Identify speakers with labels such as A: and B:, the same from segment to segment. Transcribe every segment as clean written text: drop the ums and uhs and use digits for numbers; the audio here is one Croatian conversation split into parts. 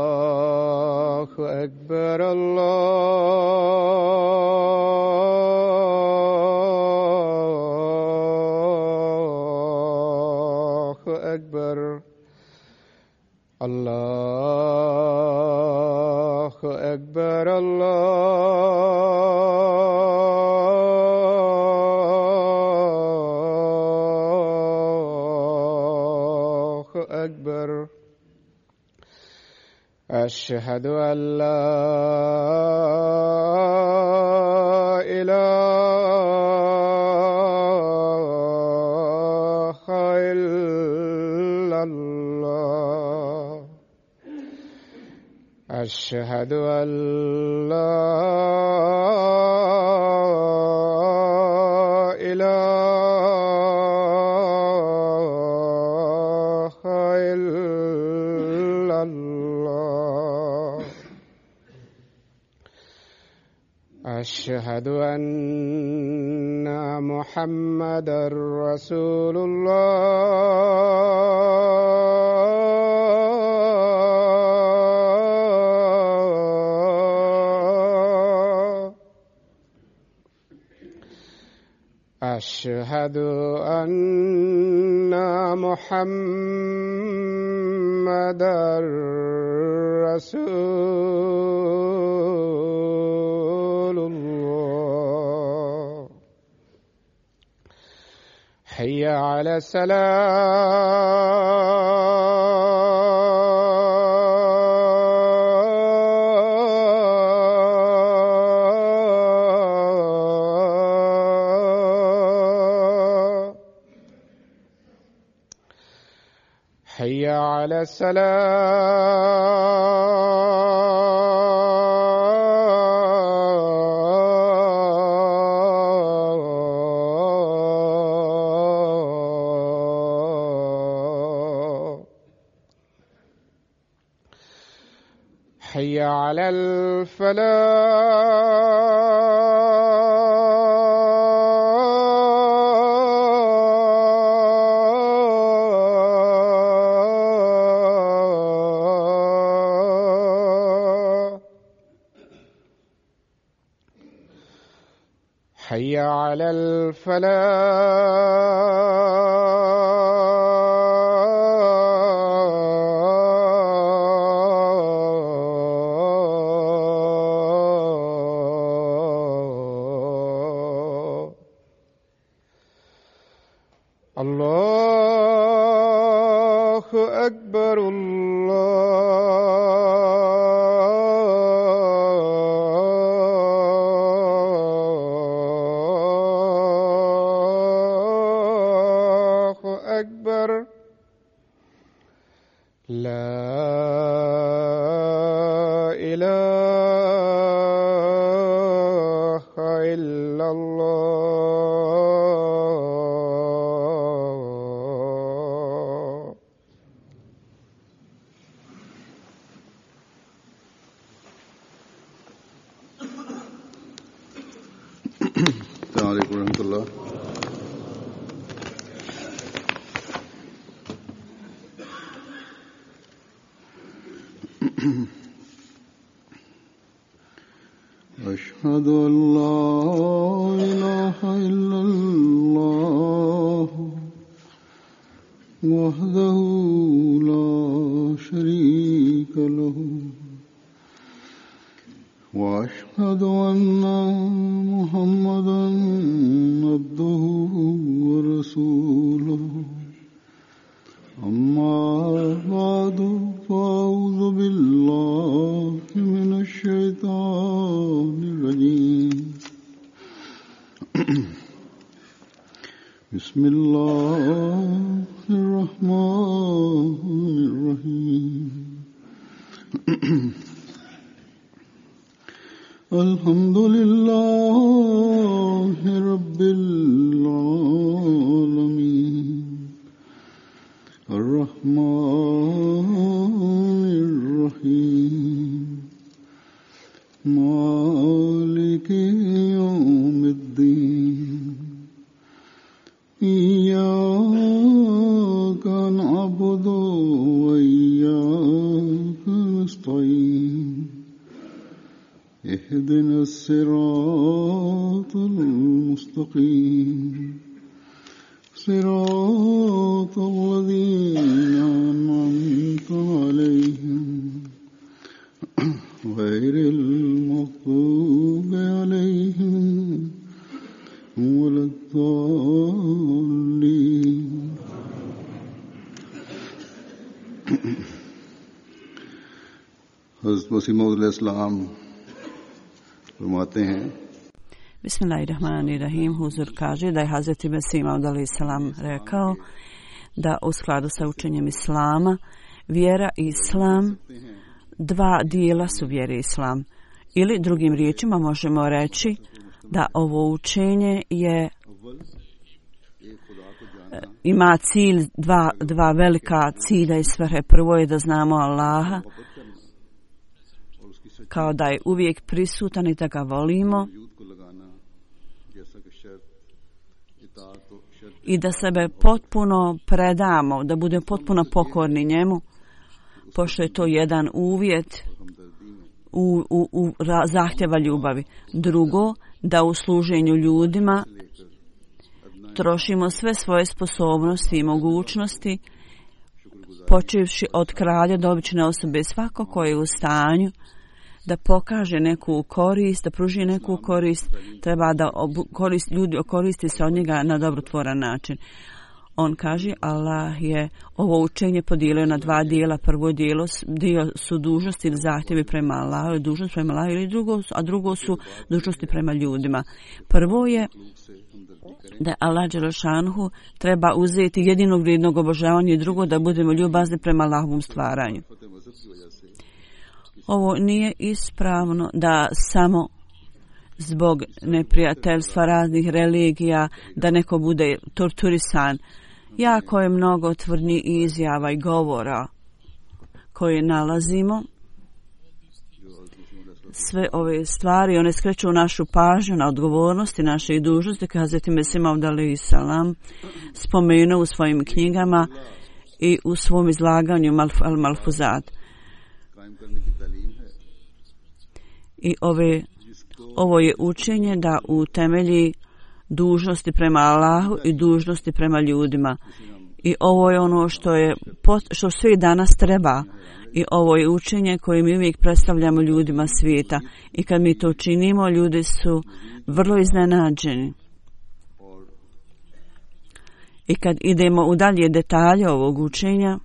A: الله أكبر الله أكبر الله أكبر الله أكبر أشهد أن لا إله إلا الله أشهد أن لا إله إلا الله أشهد أن محمدا رسول الله أشهد أن محمدا رسول الله حي على الصلاة حي على الصلاة حي على الفلاح حي على الفلاح الله أكبر الله أكبر لا إله إلا الله
B: السلام عليكم ورحمة الله. أشهد أن لا إله إلا الله وحده لا شريك له وأشهد أن محمدا عبده ورسوله أما بعد فأعوذ بالله من الشيطان الرجيم بسم الله الرحمن الرحيم الحمد لله رب العالمين الصراط المستقيم صراط الذين أنعمت عليهم غير المغضوب عليهم ولا الضالين. हज़रत मसीह मऊद अलैहिस्सलाम फरमाते हैं
C: Bismillahirrahmanirrahim. Huzur kaže da je Hazreti Mesih Maud alejselam rekao da u skladu sa učenjem Islama vjera i Islam dva dijela su vjere Islam. Ili drugim riječima možemo reći da ovo učenje ima cilj, dva velika cilja i svrhe. Prvo je da znamo Allaha kao da je uvijek prisutan i da ga volimo i da sebe potpuno predamo, da budemo potpuno pokorni njemu, pošto je to jedan uvjet u zahtjeva ljubavi. Drugo, da u služenju ljudima trošimo sve svoje sposobnosti i mogućnosti, počevši od kralja do obične osobe. Svako ko je u stanju da pokaže neku korist, da pruži neku korist, treba da ljudi koristi se od njega na dobrotvoran način. On kaže, Allah je ovo učenje podijelio na dva dijela. Prvo dio su dužnosti ili zahtjevi prema Allahu, dužnost prema Allahu, ili drugo su dužnosti prema ljudima. Prvo je da Allah dželešanhu treba uzeti jedinog vrijednog obožavanja i drugo da budemo ljubazni prema Allahovom stvaranju. Ovo nije ispravno da samo zbog neprijateljstva raznih religija da neko bude torturisan. Jako je mnogo tvrdnji izjava i govora koje nalazimo. Sve ove stvari, one skreću našu pažnju na odgovornosti naše i dužnosti, kao Hazreti Mesih Maud alejselam spomenuo u svojim knjigama i u svom izlaganju Al-Malfuzat. I ovo je učenje da utemelji dužnosti prema Allahu i dužnosti prema ljudima. I ovo je ono što svi danas treba. I ovo je učenje koje mi uvijek predstavljamo ljudima svijeta. I kad mi to činimo, ljudi su vrlo iznenađeni. I kad idemo u dalje detalje ovog učenja,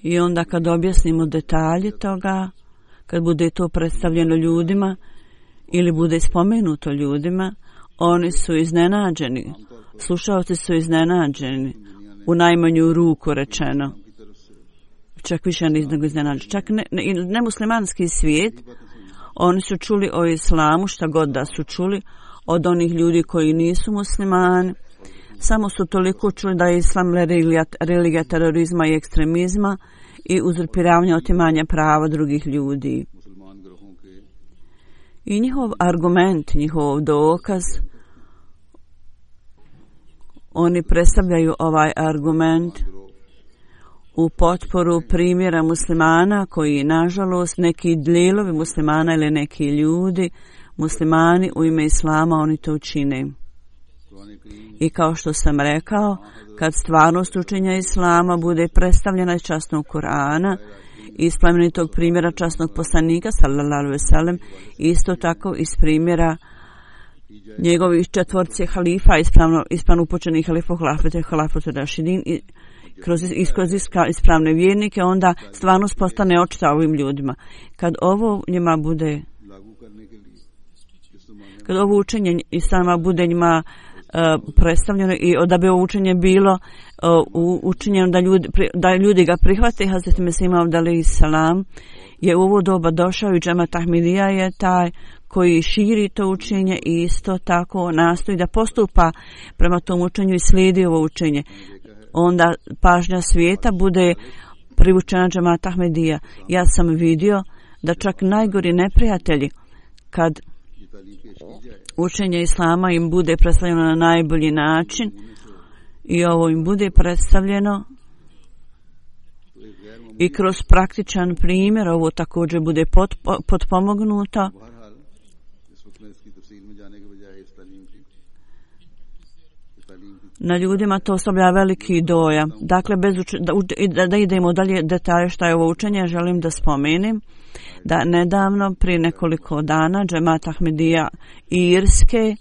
C: i onda kad objasnimo detalje toga, kad bude to predstavljeno ljudima ili bude spomenuto ljudima, oni su iznenađeni. Slušalci su iznenađeni, u najmanju ruku rečeno. Čak više nego iznenađeni. Čak nemuslimanski svijet, oni su čuli o islamu, šta god da su čuli, od onih ljudi koji nisu muslimani. Samo su toliko čuli da je islam religija terorizma i ekstremizma i uzurpiravanja, otimanja prava drugih ljudi. I njihov argument, njihov dokaz, oni predstavljaju ovaj argument u potporu primjera muslimana koji, nažalost, neki dijelovi muslimana ili neki ljudi, muslimani u ime islama, oni to čine. I kao što sam rekao, kad stvarnost učenja islama bude predstavljena iz časnog Kur'ana, iz plemenitog primjera časnog poslanika, sallallahu alejhi ve sellem, isto tako iz primjera njegovih četvorci halifa, ispravno upućenih halifa, halafete rašidin, kroz ispravne vjernike, onda stvarnost postane očita ovim ljudima. Kad ovo njima bude, kad ovo učenje islama bude njima predstavljeno i da bi ovo učenje bilo učinjeno da ljudi ga prihvate, Hazreti Mesih Maud alejselam je u ovo doba došao i džemat Ahmedija je taj koji širi to učenje i isto tako nastoji da postupa prema tom učenju i slijedi ovo učenje. Onda pažnja svijeta bude privučena džemat Ahmedija. Ja sam vidio da čak najgori neprijatelji, kad učenje islama im bude predstavljeno na najbolji način i ovo im bude predstavljeno i kroz praktičan primjer ovo također bude potpomognuto. Na ljudima to ostavlja veliki dojam. Dakle, da idemo dalje detalje šta je ovo učenje, želim da spomenem da nedavno, prije nekoliko dana, Džemat Ahmedija Irske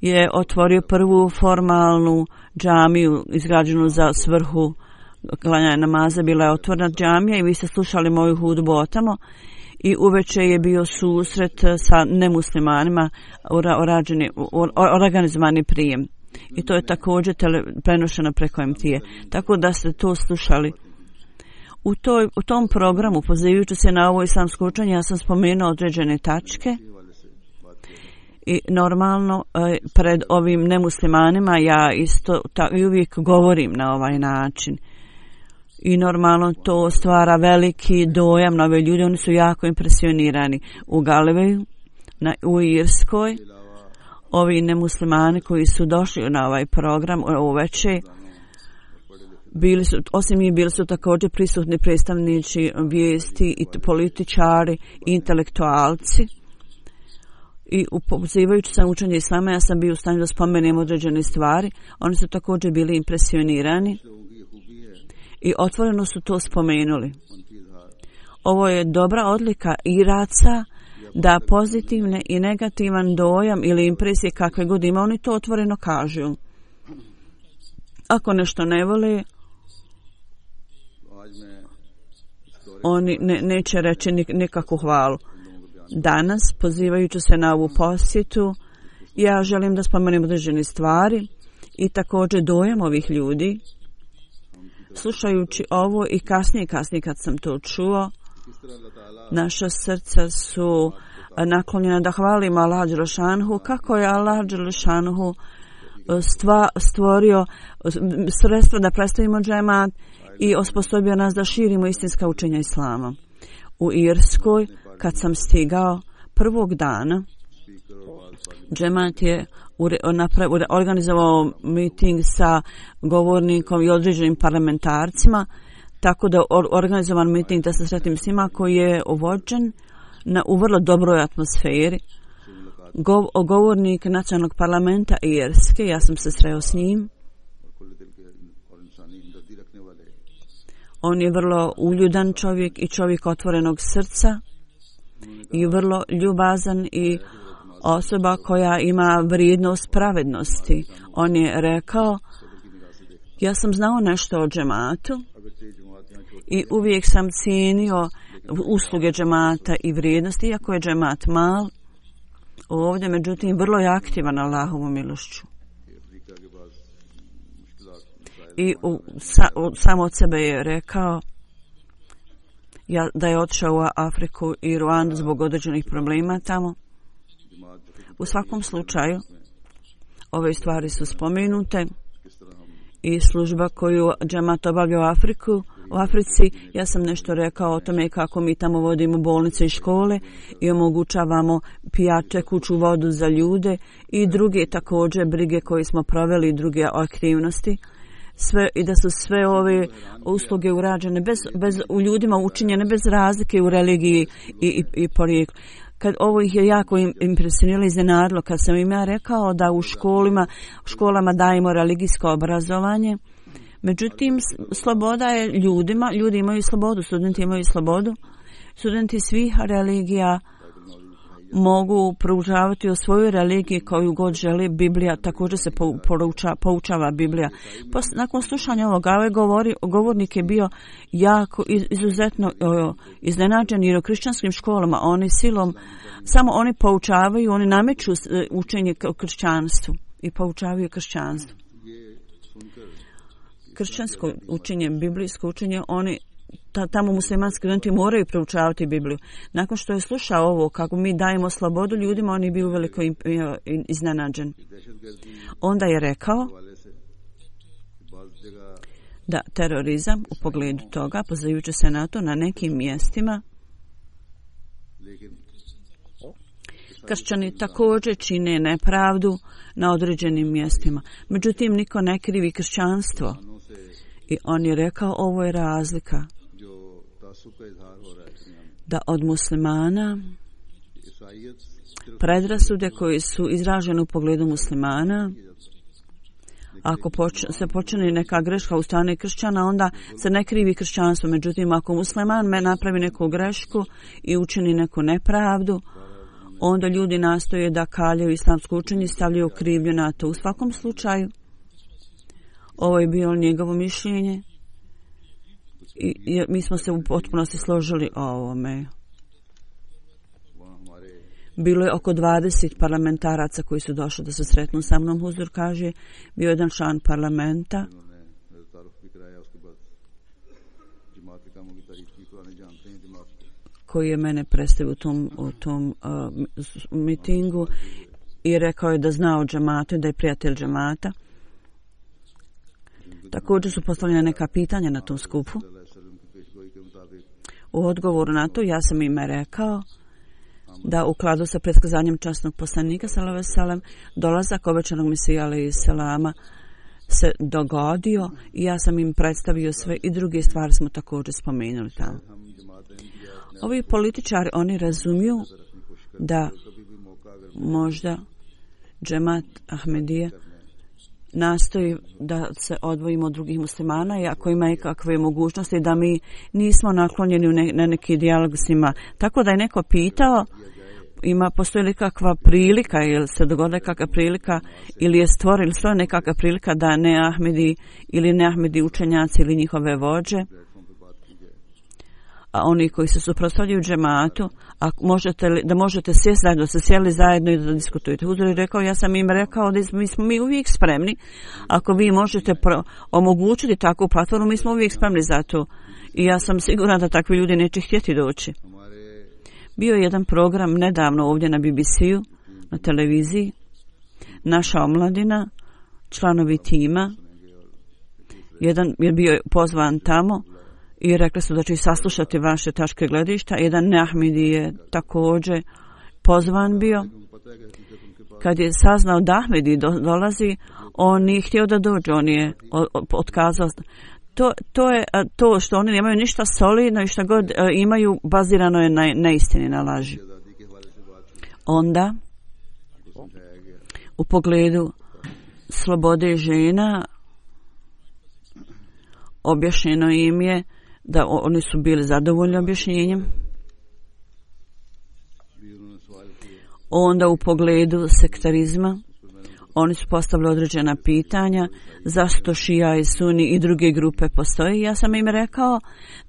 C: je otvorio prvu formalnu džamiju izgrađenu za svrhu klanjanja namaza. Bila je otvorena džamija i vi ste slušali moju hudbu o tamo i uveče je bio susret sa nemuslimanima, organizovani prijem. I to je također prenošeno preko MT-a. Tako da ste to slušali. U tom programu, pozivajući se na ovo islamsko učenje, ja sam spomenuo određene tačke i normalno pred ovim nemuslimanima ja isto i uvijek govorim na ovaj način. I normalno to stvara veliki dojam na ove ljude, oni su jako impresionirani. U Galileju, u Irskoj, ovi nemuslimani koji su došli na ovaj program uveče, osim njih bili su također prisutni predstavnici vijesti i političari i intelektualci. I pozivajući se učenje islama, ja sam bio u stanju da spomenem određene stvari. Oni su također bili impresionirani i otvoreno su to spomenuli. Ovo je dobra odlika Iraca da pozitivne i negativan dojam ili impresije kakve god ima, oni to otvoreno kažu. Ako nešto ne vole, oni neće reći nikakvu hvalu. Danas, pozivajući se na ovu posjetu, ja želim da spomenem određene stvari i također dojam ovih ljudi. Slušajući ovo i kasnije kad sam to čuo, naša srca su naklonjena da hvalimo Allah Đelešanuhu, kako je Allah Đelešanuhu stvorio sredstva da predstavimo džemat i osposobio nas da širimo istinska učenja islama. U Irskoj, kad sam stigao prvog dana, džemat je organizovao meeting sa govornikom i određenim parlamentarcima, tako da organizovan meeting da se sretim s njima koji je vođen u vrlo dobroj atmosferi. Govornik nacionalnog parlamenta Irske, ja sam se sreo s njim. On je vrlo uljudan čovjek i čovjek otvorenog srca i vrlo ljubazan i osoba koja ima vrijednost pravednosti. On je rekao, ja sam znao nešto o džematu i uvijek sam cijenio usluge džemata i vrijednosti, iako je džemat mal, ovdje međutim vrlo je aktivan Allahovom milošću. I sam od sebe je rekao da je otišao u Afriku i Ruandu zbog određenih problema tamo. U svakom slučaju, ove stvari su spomenute i služba koju džemat obavlja u Africi, ja sam nešto rekao o tome kako mi tamo vodimo bolnice i škole i omogućavamo tekuću vodu za ljude i druge također brige koje smo proveli i druge aktivnosti. I da su sve ove usluge urađene u ljudima učinjene bez razlike u religiji i porijeklu. Kad ovo ih je jako impresioniralo i iznenadilo, kad sam im ja rekao da u školama dajemo religijsko obrazovanje. Međutim, sloboda je ljudima, ljudi imaju slobodu, studenti imaju slobodu. Studenti svih religija mogu proučavati o svojoj religiji koju god želi. Biblija također se poučava Biblija. Nakon slušanja ovoga, ovaj govornik je bio jako izuzetno iznenađen jer u kršćanskim školama oni silom samo oni poučavaju, oni nameću učenje o kršćanstvu i poučavaju kršćanstvo. Kršćansko učenje, biblijsko učenje, oni tamo muslimanski studenti moraju proučavati Bibliju. Nakon što je slušao ovo, kako mi dajemo slobodu ljudima, on je bio uveliko iznenađen. Onda je rekao da terorizam u pogledu toga, pozivajući se na to, na nekim mjestima kršćani također čine nepravdu na određenim mjestima. Međutim, niko ne krivi kršćanstvo. I on je rekao, ovo je razlika. da od muslimana predrasude koji su izražene u pogledu muslimana, ako se počini neka greška u strani kršćana, onda se ne krivi kršćanstvo. Međutim, ako musliman napravi neku grešku i učini neku nepravdu, onda ljudi nastoje da kaljaju islamsko učenje i stavljaju krivnju na to. U svakom slučaju, ovo je bilo njegovo mišljenje i mi smo se u potpunosti složili o ovome. Bilo je oko 20 parlamentaraca koji su došli da se sretnu sa mnom. Huzur kaže, bio jedan član parlamenta koji je mene predstavio u tom mitingu i rekao je da zna o džematu i da je prijatelj džemata. Također su postavljene neka pitanja na tom skupu. U odgovoru na to ja sam im rekao da u kladu sa predskazanjem časnog poslanika sallallahu alejhi ve sellem dolazak obećanog Mesija alejhi selama se dogodio i ja sam im predstavio sve i druge stvari smo također spomenuli tamo. Ovi političari, oni razumiju da možda džemat Ahmedije nastoji da se odvojimo od drugih muslimana i ako ima ikakve mogućnosti da mi nismo naklonjeni na neki dijalog s njima. Tako da je neko pitao, postoji li kakva prilika ili se dogodila kakva prilika ili je stvorila nekakva prilika da ne Ahmedi ili ne Ahmedi učenjaci ili njihove vođe, a oni koji se suprotstavljaju džematu, a možete sjesti zajedno, da se sjeli zajedno i da diskutujete. Huzur je rekao, ja sam im rekao da smo mi uvijek spremni, ako vi možete omogućiti takvu platformu, mi smo uvijek spremni za to. I ja sam siguran da takvi ljudi neće htjeti doći. Bio je jedan program nedavno ovdje na BBC-u, na televiziji, naša omladina, članovi tima, jedan je bio pozvan tamo i rekli su da će saslušati vaše tačke gledišta. Jedan neahmedi je također pozvan bio. Kad je saznao da Ahmedi dolazi, on nije htio da dođe, on je otkazao. To je to što oni nemaju ništa solidno i šta god imaju bazirano je na neistini, na laži. Onda, u pogledu slobode žena, objašnjeno im je da oni su bili zadovoljni objašnjenjem. Onda u pogledu sektarizma oni su postavili određena pitanja zašto šija i suni i druge grupe postoje. Ja sam im rekao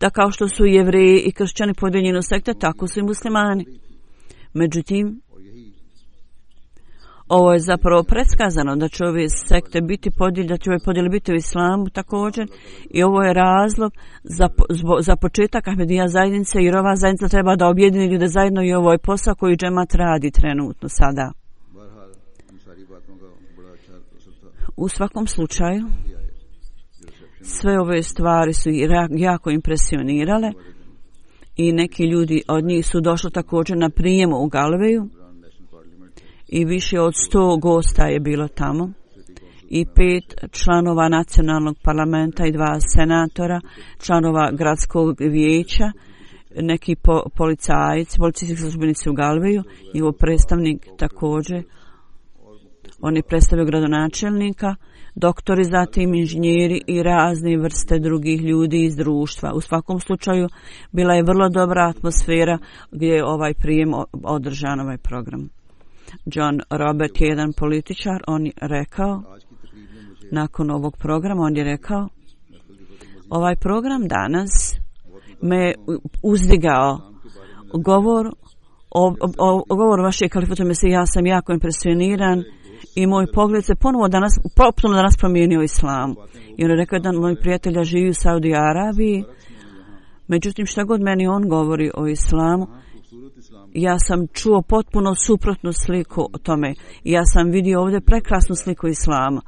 C: da kao što su Jevreji i kršćani podijeljeni u sekte, tako su i muslimani. Međutim, ovo je zapravo predskazano da će ove sekte biti podijeljene, da će ove podjele biti u islamu također i ovo je razlog za početak Ahmedija zajednice jer ova zajednica treba da objedini ljude zajedno i ovo je posao koji džemat radi trenutno sada. U svakom slučaju, sve ove stvari su jako impresionirale i neki ljudi od njih su došli također na prijem u Galveju i više od 100 gosta je bilo tamo i 5 članova nacionalnog parlamenta i 2 senatora, članova gradskog vijeća, neki policijski službenici u Galveju, njegov predstavnik također. Oni predstavljaju gradonačelnika, doktori, zatim inženjeri i razne vrste drugih ljudi iz društva. U svakom slučaju bila je vrlo dobra atmosfera gdje je ovaj prijem održan, ovaj program. John Robert je jedan političar, on je rekao, nakon ovog programa, on je rekao, ovaj program danas me uzdigao. Govor vašeg kalifata Mesije, ja sam jako impresioniran i moj pogled se potpuno danas promijenio islamu. I on je rekao da moj prijatelja živi u Saudi Arabiji, međutim šta god meni on govori o islamu, ja sam čuo potpuno suprotnu sliku o tome. Ja sam vidio ovdje prekrasnu sliku islama.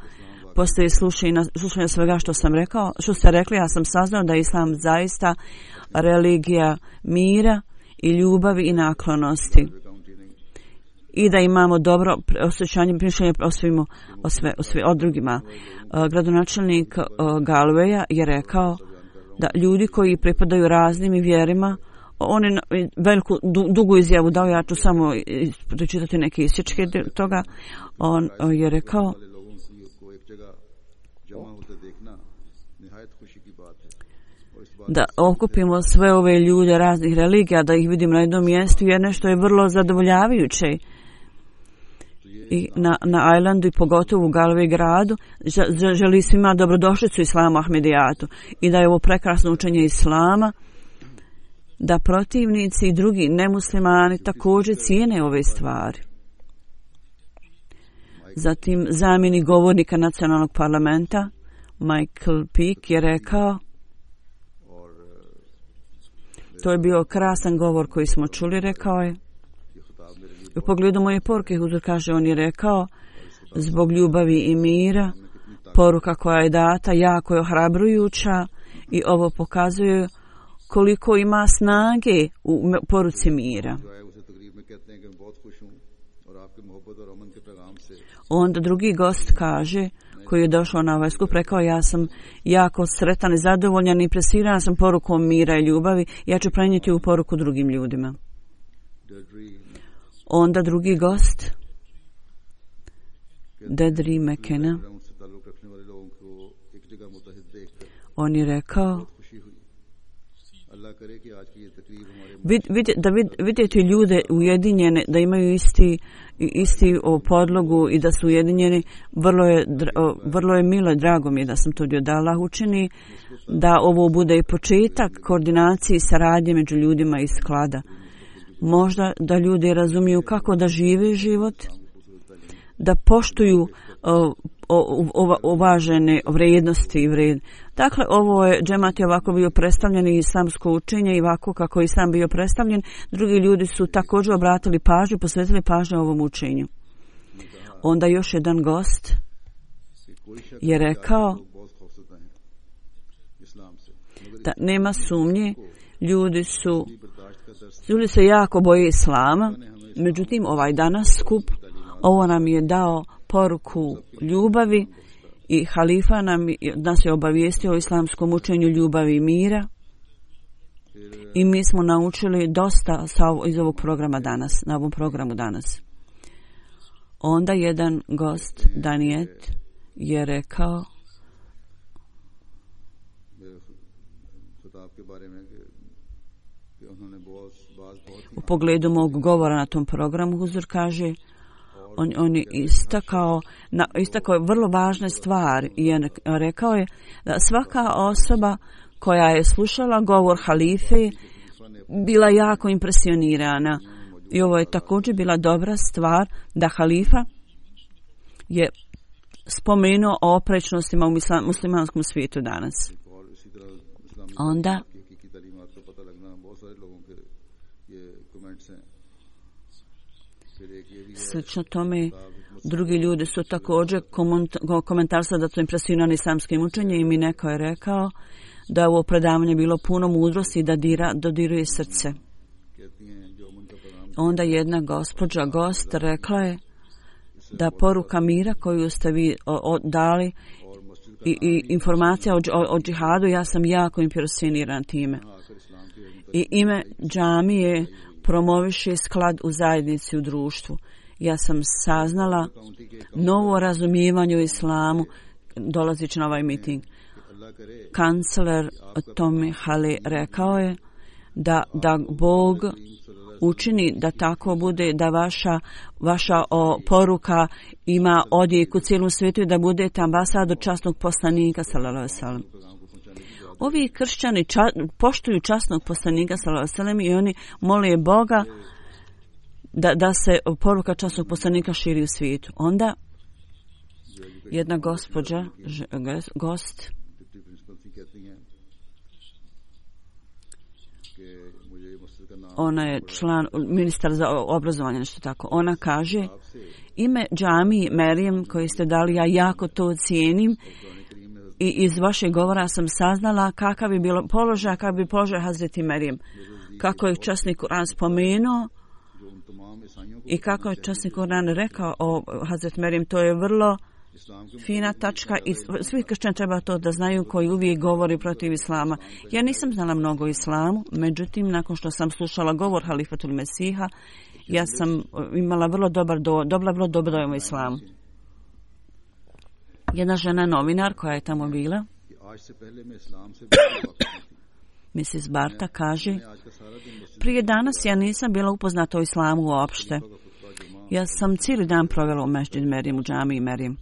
C: Poslije slušanja svega što sam rekao, što ste rekli, ja sam saznao da je islam zaista religija mira i ljubavi i naklonosti. I da imamo dobro osjećanje mišljenja o drugima. Gradonačelnik Galveja je rekao, da ljudi koji pripadaju raznim vjerima, oni veliku dugu izjavu dao, ja ću samo pročitati neke isječke toga. On je rekao da okupimo sve ove ljude raznih religija, da ih vidimo na jednom mjestu, jer nešto je vrlo zadovoljavajuće. I na Islandu i pogotovo u Galway gradu želi svima dobrodošlicu Islamu Ahmedijatu i da je ovo prekrasno učenje Islama, da protivnici i drugi nemuslimani također cijene ove stvari. Zatim zamjenik govornika nacionalnog parlamenta Michael Peake je rekao, to je bio krasan govor koji smo čuli, rekao je, u pogledu moje poruke, Huzur kaže, on je rekao, zbog ljubavi i mira, poruka koja je data jako je ohrabrujuća i ovo pokazuje koliko ima snage u poruci mira. Onda drugi gost kaže, koji je došao na ovaj skup, rekao, ja sam jako sretan i zadovoljan i impresiran sam porukom mira i ljubavi, ja ću prenijeti u poruku drugim ljudima. Onda drugi gost, Dedri McKenna, on je rekao, vidjeti ljude ujedinjene, da imaju isti podlogu i da su ujedinjeni, vrlo je milo i drago mi je da sam to dio, da Allah učini da ovo bude i početak koordinacije i saradnje među ljudima iz sklada. Možda da ljudi razumiju kako da žive život, da poštuju uvažene vrijednosti i vred. Dakle, ovo je džemat je ovako bio predstavljen i islamsko učenje i ovako kako je islam bio predstavljen. Drugi ljudi su također obratili pažnju, posvetili pažnju ovom učenju. Onda još jedan gost je rekao da nema sumnje, ljudi se jako boje islama, međutim ovaj danas skup, ovo nam je dao poruku ljubavi i halifa nas je obavijestio o islamskom učenju ljubavi i mira i mi smo naučili dosta iz ovog programa danas, na ovom programu danas. Onda jedan gost, Daniet, je rekao u pogledu mog govora na tom programu, Huzur kaže, on je istakao je vrlo važne stvari i rekao je da svaka osoba koja je slušala govor halife bila jako impresionirana i ovo je također bila dobra stvar da halifa je spomenuo o oprečnostima u muslimanskom svijetu danas. Onda slično tome drugi ljudi su također komentarisali da su impresionirani islamskim učenjem i mi neko je rekao da je ovo predavanje bilo puno mudrosti i da dodiruje srce. Onda jedna gospođa gost rekla je da poruka mira koju ste vi dali i informacija o džihadu, ja sam jako impresioniran time. I ime džamije promoviše sklad u zajednici, u društvu. Ja sam saznala novo razumijevanje u islamu dolazeći na ovaj miting. Kancler Tommy Hale rekao je da Bog učini da tako bude, da vaša poruka ima odjek u cijelom svijetu i da budete ambasador časnog poslanika sallallahu alejhi ve sellem. Ovi kršćani poštuju časnog poslanika sallallahu alejhi ve sellem i oni mole Boga da se poruka časnog poslanika širi u svijetu. Onda jedna gospođa, gost, ona je član, ministar za obrazovanje, nešto tako. Ona kaže, ime džamiji Merijem koji ste dali, ja jako to cijenim i iz vašeg govora sam saznala kakav bi bilo položaj, kakav bi položaj Hazreti Merijem. Kako je časni Kur'an spomenuo i kako je časni Kur'an rekao o Hazreti Merijem, to je vrlo fina tačka i svi kršćani treba to da znaju koji uvijek govori protiv islama. Ja nisam znala mnogo o islamu, međutim, nakon što sam slušala govor Halifatul Mesiha, ja sam imala vrlo vrlo dobar dojam o islamu. Jedna žena novinar koja je tamo bila, Mrs. Barta, kaže: prije danas ja nisam bila upoznata o islamu uopšte. Ja sam cijeli dan provela u Mešđid Merim, u džamiji Merim.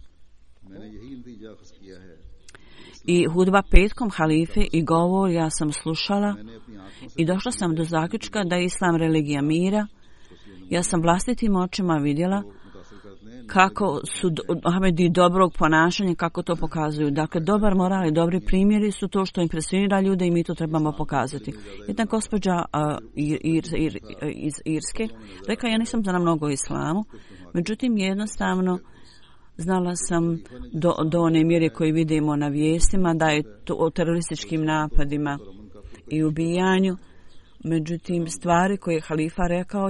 C: I hudba petkom halife i govor ja sam slušala i došla sam do zaključka da je islam religija mira. Ja sam vlastitim očima vidjela kako su Ahmedi dobrog ponašanja, kako to pokazuju. Dakle, dobar moral i dobri primjeri su to što impresionira ljude i mi to trebamo pokazati. Jedna gospođa iz Irske rekla: ja nisam znala mnogo o islamu, međutim jednostavno znala sam do one mjere koje vidimo na vijestima da je to o terorističkim napadima i ubijanju. Međutim, stvari koje je halifa rekao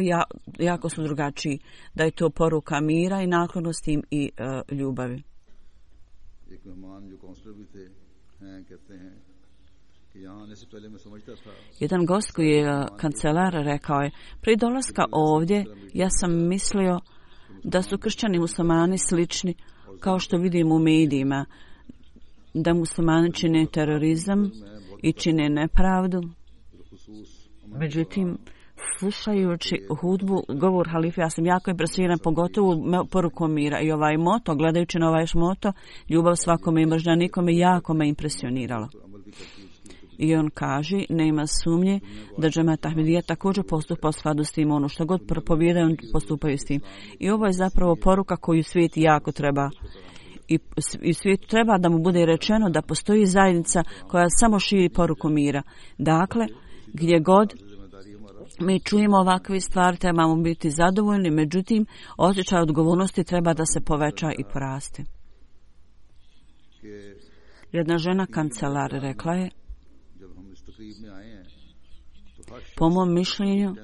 C: jako su drugačiji. Da je to poruka mira i naklonosti i ljubavi. Jedan gost koji je kancelar rekao je: prije dolaska ovdje ja sam mislio da su kršćani muslimani slični kao što vidimo u medijima, da muslimani čine terorizam i čine nepravdu. Međutim, slušajući hudbu, govor halife, ja sam jako impresioniran, pogotovo porukom mira. I ovaj moto, gledajući na ovaj moto, ljubav svakome i mržnja nikome, jako me impresioniralo. I on kaže: nema sumnje da džemat Ahmedija također postupa u skladu s tim, ono što god propovijedaju, on postupaju s tim. I ovo je zapravo poruka koju svijet jako treba. I svijetu treba da mu bude rečeno da postoji zajednica koja samo širi poruku mira. Dakle, gdje god mi čujemo ovakve stvari, trebamo biti zadovoljni, međutim, osjećaj odgovornosti treba da se poveća i poraste. Jedna žena kancelar rekla je: po mom mišljenju,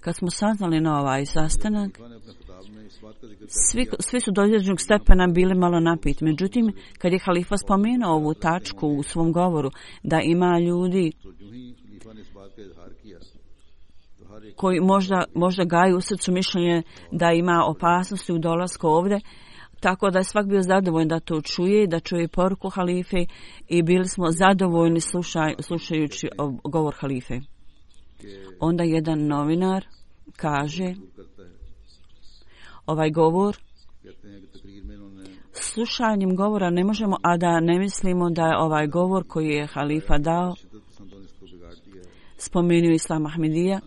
C: kad smo saznali na ovaj sastanak, svi su do određenog stepena bili malo napiti. Međutim, kad je halifa spomenuo ovu tačku u svom govoru, da ima ljudi koji možda gaju u srcu mišljenje da ima opasnosti u dolasku ovdje, tako da je svak bio zadovoljan da to čuje, da čuje poruku halife i bili smo zadovoljni slušajući govor halife. Onda jedan novinar kaže: ovaj govor, slušanjem govora ne možemo, a da ne mislimo da je ovaj govor koji je halifa dao, spomenuo Islam Ahmedija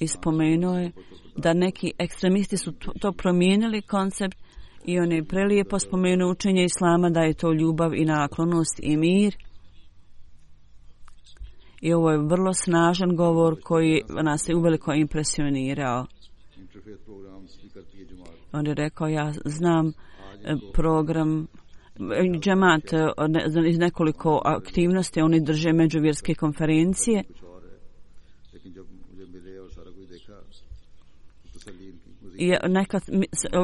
C: i spomenuo je da neki ekstremisti su to promijenili koncept i on je prelijepo spomenuo učenje Islama, da je to ljubav i naklonost i mir. I ovo je vrlo snažan govor koji nas je uveliko impresionirao. On je rekao: ja znam program džemat iz nekoliko aktivnosti, oni drže međuvjerske konferencije. I nekad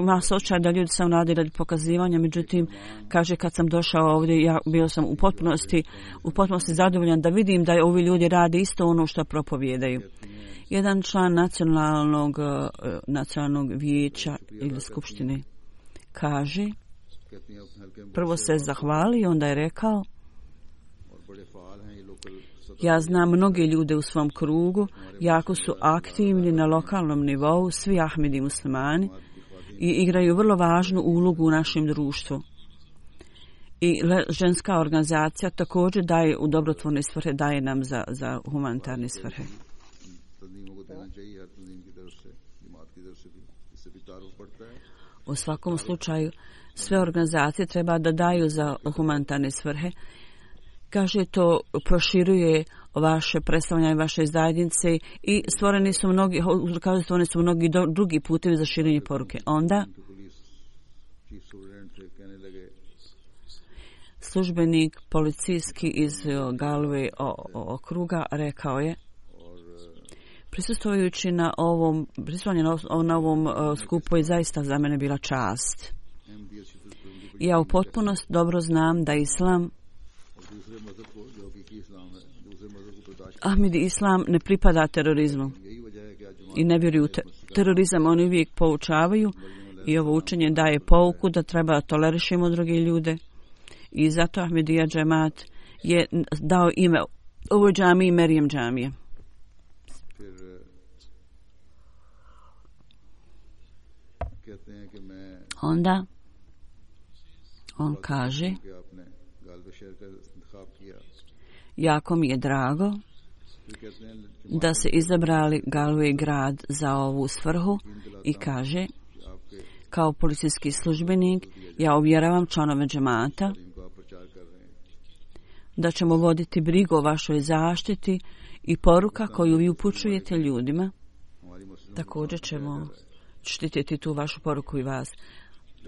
C: ima osjećaj da ljudi sam radi radi pokazivanja, međutim, kaže, kad sam došao ovdje, ja bio sam u potpunosti zadovoljan da vidim da ovi ljudi rade isto ono što propovijedaju. Jedan član nacionalnog vijeća ili skupštine kaže, prvo se zahvali, onda je rekao: ja znam mnoge ljude u svom krugu, jako su aktivni na lokalnom nivou, svi Ahmedi muslimani, i igraju vrlo važnu ulogu u našem društvu. I ženska organizacija također daje u dobrotvorne svrhe, daje nam za humanitarne svrhe. U svakom slučaju, sve organizacije treba da daju za humanitarne svrhe. Kaže, to proširuje vaše predstavljanje vaše zajednice i stvoreni su mnogi drugi putevi za širenje poruke. Onda službenik policijski iz Galway okruga rekao je: prisustvujući na ovom skupu je zaista za mene bila čast. Ja u potpunosti dobro znam da Islam, Ahmedi Islam ne pripada terorizmu i ne vjeruju terorizam. Oni uvijek poučavaju i ovo učenje daje pouku da treba tolerišemo druge ljude. I zato Ahmedija džemat je dao ime ovoj džamiji Merijem džamije. Onda on kaže, jako mi je drago da se izabrali Galway grad za ovu svrhu i kaže, kao policijski službenik ja uvjeravam članove džemata da ćemo voditi brigu o vašoj zaštiti i poruka koju vi upućujete ljudima. Također ćemo štititi tu vašu poruku i vas.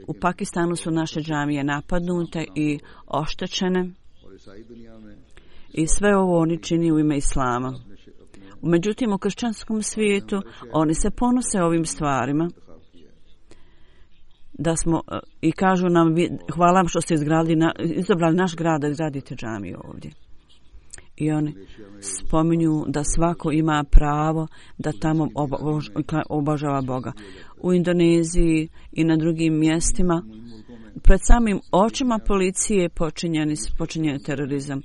C: U Pakistanu su naše džamije napadnute i oštećene i sve ovo oni čini u ime Islama. Međutim, u kršćanskom svijetu oni se ponose ovim stvarima. Da smo, i kažu nam, hvala vam što ste izabrali naš grad da izgradite džamiju ovdje. I oni spominju da svako ima pravo da tamo obožava Boga. U Indoneziji i na drugim mjestima pred samim očima policije počinjen terorizam.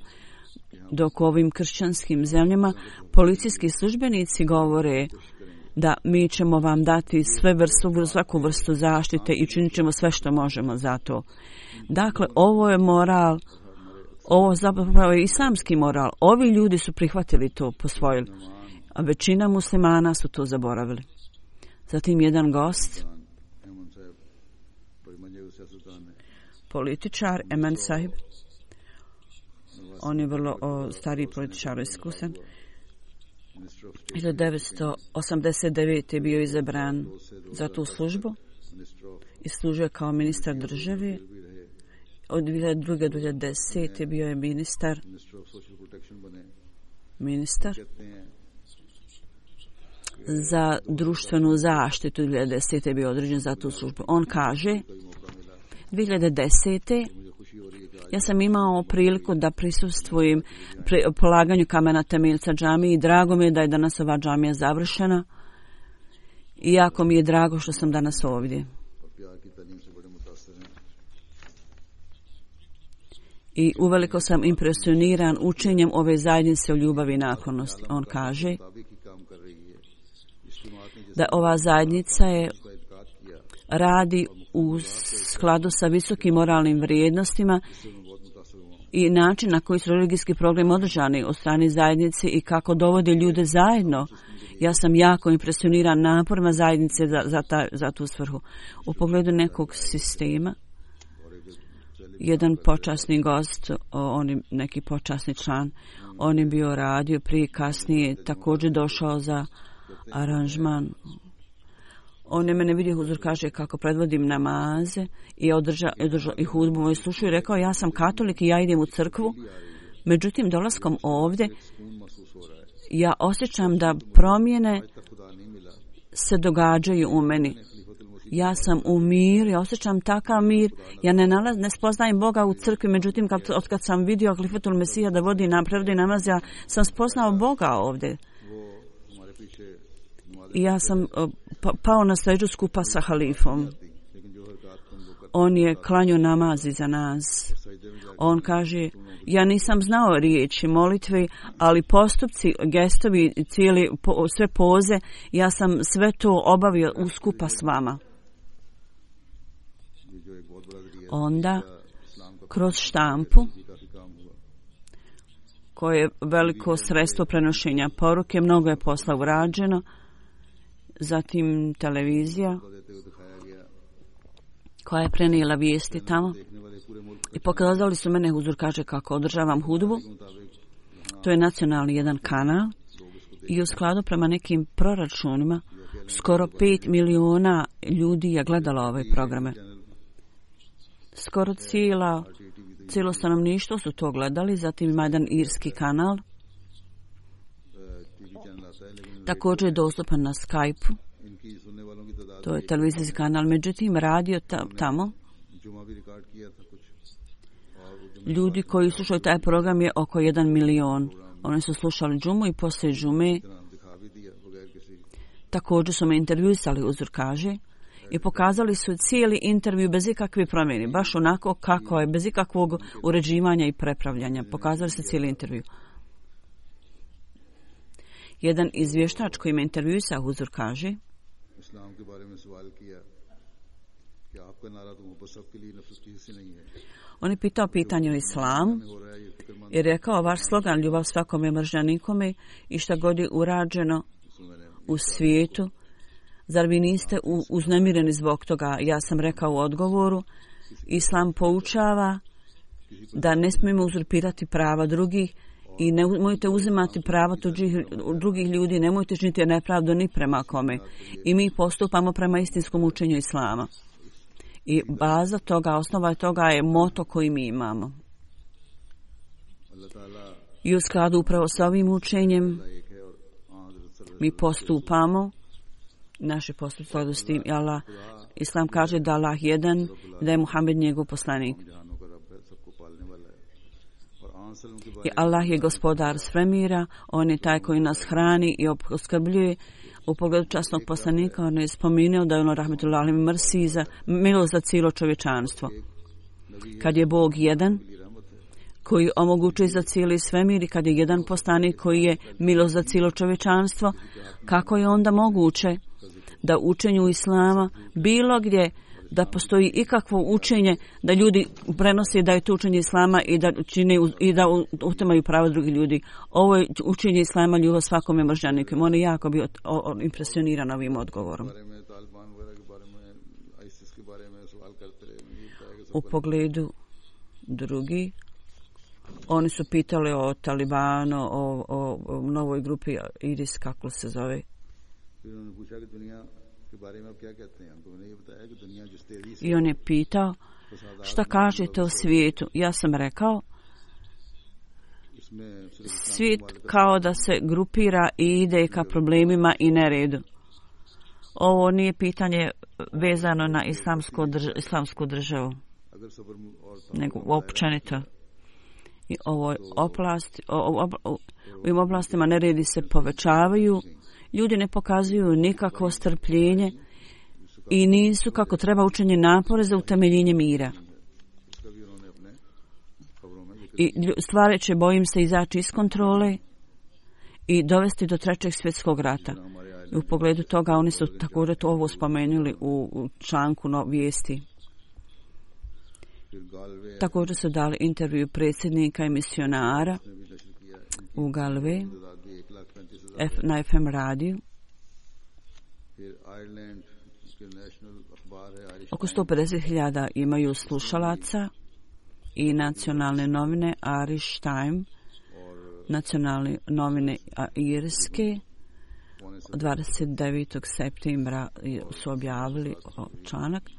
C: Dok u ovim kršćanskim zemljama policijski službenici govore da mi ćemo vam dati svaku vrstu zaštite i činit ćemo sve što možemo za to. Dakle, ovo je moral, ovo zapravo je islamski moral. Ovi ljudi su prihvatili to, posvojili, a većina muslimana su to zaboravili. Zatim jedan gost, političar, Eman Sahib, on je vrlo stariji političar, iskusan. 1989. je bio izabran za tu službu i služio kao ministar države. Od 2002. do 2010. bio je ministar za društvenu zaštitu. 2010. je bio određen za tu službu. On kaže, 2010. ja sam imao priliku da prisustvujem polaganju kamena temeljca džamije i drago mi je da je danas ova džamija završena i jako mi je drago što sam danas ovdje. I uveliko sam impresioniran učenjem ove zajednice o ljubavi i naklonosti. On kaže da ova zajednica radi u skladu sa visokim moralnim vrijednostima i način na koji su religijski programi održani od strane zajednice i kako dovode ljude zajedno. Ja sam jako impresioniran naporima zajednice za tu svrhu. U pogledu nekog sistema, jedan počasni gost, on je neki počasni član, on je bio radio prije, kasnije također došao za aranžman. On je mene vidio, huzur kaže kako predvodim namaze i održao i hudbu moju slušao i rekao ja sam katolik i ja idem u crkvu. Međutim, dolaskom ovdje ja osjećam da promjene se događaju u meni. Ja sam u miru, ja osjećam takav mir. Ja ne spoznajem Boga u crkvi, međutim od kad sam vidio Halifatul Mesija da prevodi namaz, ja sam spoznao Boga ovdje. I ja sam pao na seđu skupa sa halifom. On je klanjao namaz za nas. On kaže, ja nisam znao riječi molitve, ali postupci, gestovi, sve poze, ja sam sve to obavio skupa s vama. Onda, kroz štampu, koje je veliko sredstvo prenošenja poruke, mnogo je posla urađeno, zatim televizija koja je prenijela vijesti tamo i pokazali su mene, huzur kaže kako održavam hudbu. To je nacionalni jedan kanal i u skladu prema nekim proračunima skoro 5 miliona ljudi je gledalo ove programe. Skoro cijelo stanovništvo su to gledali, zatim ima jedan irski kanal, također je dostupan na Skype-u, to je televizijski kanal, međutim radio tamo
B: जुमा भी रिकॉर्ड किया था कुछ
C: Ljudi koji slušaju taj program je oko 1 milion. Oni su slušali džumu i poslije džume
B: दिखा भी दिया बगैर किसी
C: također su me intervjuisali, Huzur kaže, i pokazali su cijeli intervju bez ikakve promjene, baš onako kako je, bez ikakvog uređivanja i prepravljanja. Pokazali su cijeli intervju. Jedan izvještač koji me intervjuisao, Huzur kaže,
B: इस्लाम के बारे में सवाल किया कि आपका नारा तो मोहब्बत सबके लिए नफरत की हिस्से नहीं है
C: on je pitao pitanje o islamu
B: हो रहा है ये फिक्रमंद
C: i rekao vaš slogan ljubav svakome, mržnja nikome i šta god je urađeno u svijetu, zar vi niste uznemireni zbog toga? Ja sam rekao u odgovoru, islam poučava da ne smijemo uzurpirati prava drugih i nemojte uzimati prava drugih ljudi, nemojte činiti nepravdu ni prema kome. I mi postupamo prema istinskom učenju islama. I baza toga, osnova toga je moto koji mi imamo. I u skladu upravo sa ovim učenjem mi postupamo, naši postupci u skladu s tim, Allah, Islam kaže da Allah jedan, da je Muhammed njegov poslanik.
B: जहानों का रब है सबको पालने वाला है और आंसलों के
C: I Allah je gospodar svemira, on je taj koji nas hrani i opskrbljuje. U pogledu časnog poslanika on je spomenuo da je ono rahmetullahi alejhi mrsi za milost za cijelo čovječanstvo. Kad je Bog jedan koji omogućuje za cijeli svemir i kad je jedan poslanik koji je milost za cijelo čovječanstvo, kako je onda moguće da učenju islama bilo gdje da postoji ikakvo učenje da ljudi prenose da je to učenje islama i da čine i da utemaju prava drugih ljudi. Ovo je učenje islama ljubav svakome, mržnja nikome. On je jako bio impresioniran ovim odgovorom.
B: बारे में तालिबान वगैरह के बारे में आईसिस के बारे में सवाल करते रहे मुझे बताया कि
C: U pogledu drugi, oni su pitali o Talibanu, o novoj grupi IRIS, kako se zove.
B: फिर उन्होंने पूछा कि दुनिया के बारे में आप क्या कहते हैं तो मैंने ये बताया कि दुनिया जिस तेजी से
C: I on je pitao šta kažete o svijetu. Ja sam rekao,
B: इसमें सिर्फ
C: svijet kao da se grupira i ide ka problemima i neredu. Ovo nije pitanje vezano na islamsku državu,
B: अगर सब्र और
C: nego općenito. I ovoj oblasti, u ovim oblastima neredi se povećavaju, ljudi ne pokazuju nikakvo strpljenje i nisu kako treba učenje napore za utemeljenje mira.
B: इसका भी उन्होंने अपने खबरों में जिक्र
C: I stvari će, bojim se, izaći iz kontrole i dovesti do trećeg svjetskog rata. I u pogledu toga oni su također to ovo spomenuli u članku vijesti.
B: फिर Galway
C: Također su dali intervju predsjednika i misionara
B: ने भी नशर किया
C: u Galve
B: आज़ादी 1,35,000
C: na FM radiju.
B: फिर आयरलैंड के नेशनल अखबार है Irish
C: Oko 150.000 imaju slušalaca i nacionalne novine Irish Time, nacionalne novine Irske, 29. septembra su objavili članak.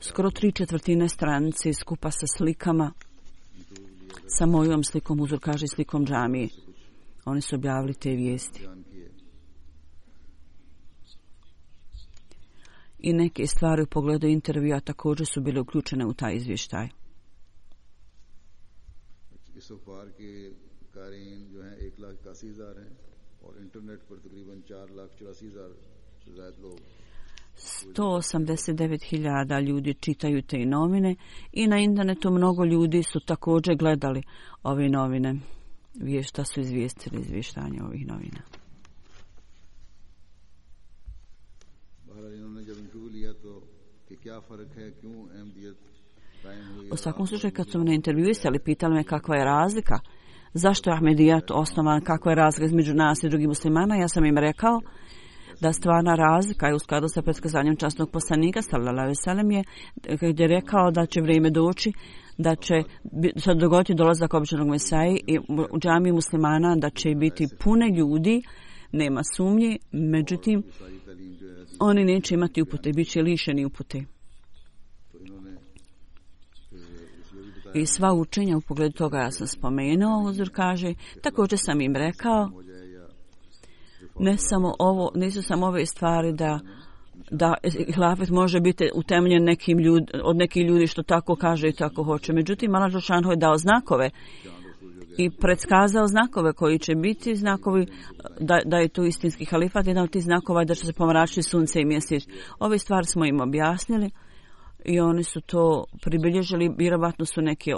C: Skoro 3/4 stranice skupa sa slikama, sa mojom slikom, Huzur kaže slikom džamije. Oni su objavili te vijesti.
B: बयान किए
C: I neke stvari u pogledu intervjua također su bile uključene u taj izvještaj.
B: इस अखबार के कारीन जो हैं 1,81,000 हैं और इंटरनेट पर तकरीबन 4,84,000 से ज्यादा लोग
C: 189.000 ljudi čitaju te novine i na internetu mnogo ljudi su također gledali ove novine. Šta su izvijestili izvještanje ovih novina.
B: बहरहाल इन्होंने जब इंटरव्यू लिया तो कि क्या फर्क है क्यों अहमियत कायम हुई
C: U svakom slučaju kad su me intervjuisali, pitali me kakva je razlika, zašto je Ahmedijat osnovan, kakva je razlika između nas i drugih muslimana, ja sam im rekao da stvarna razlika je u skladu sa predskazanjem časnog poslanika sallallahu alejhi ve sellem je gdje je rekao da će vrijeme doći, da će se dogoditi dolazak običnog Mesaji i u džamiji muslimana da će biti pune ljudi, nema sumnje, međutim oni neće imati upute, bit će lišeni upute.
B: तो इन्होंने फिर इसलिए भी बताया
C: I sva učenja u pogledu toga ja sam spomenuo, Huzur kaže, također sam im rekao,
B: हो जाए या
C: ne samo ovo, nisu samo ove stvari da da hilafet može biti utemeljen od nekih ljudi što tako kaže i tako hoće. Međutim, Allah dželešanu je dao znakove i predskazao znakove koji će biti znakovi da je to istinski halifat. Jedan od tih znakova je da će se pomračiti sunce i mjesec. Ove stvari smo im objasnili i oni su to pribilježili. Vjerovatno su neke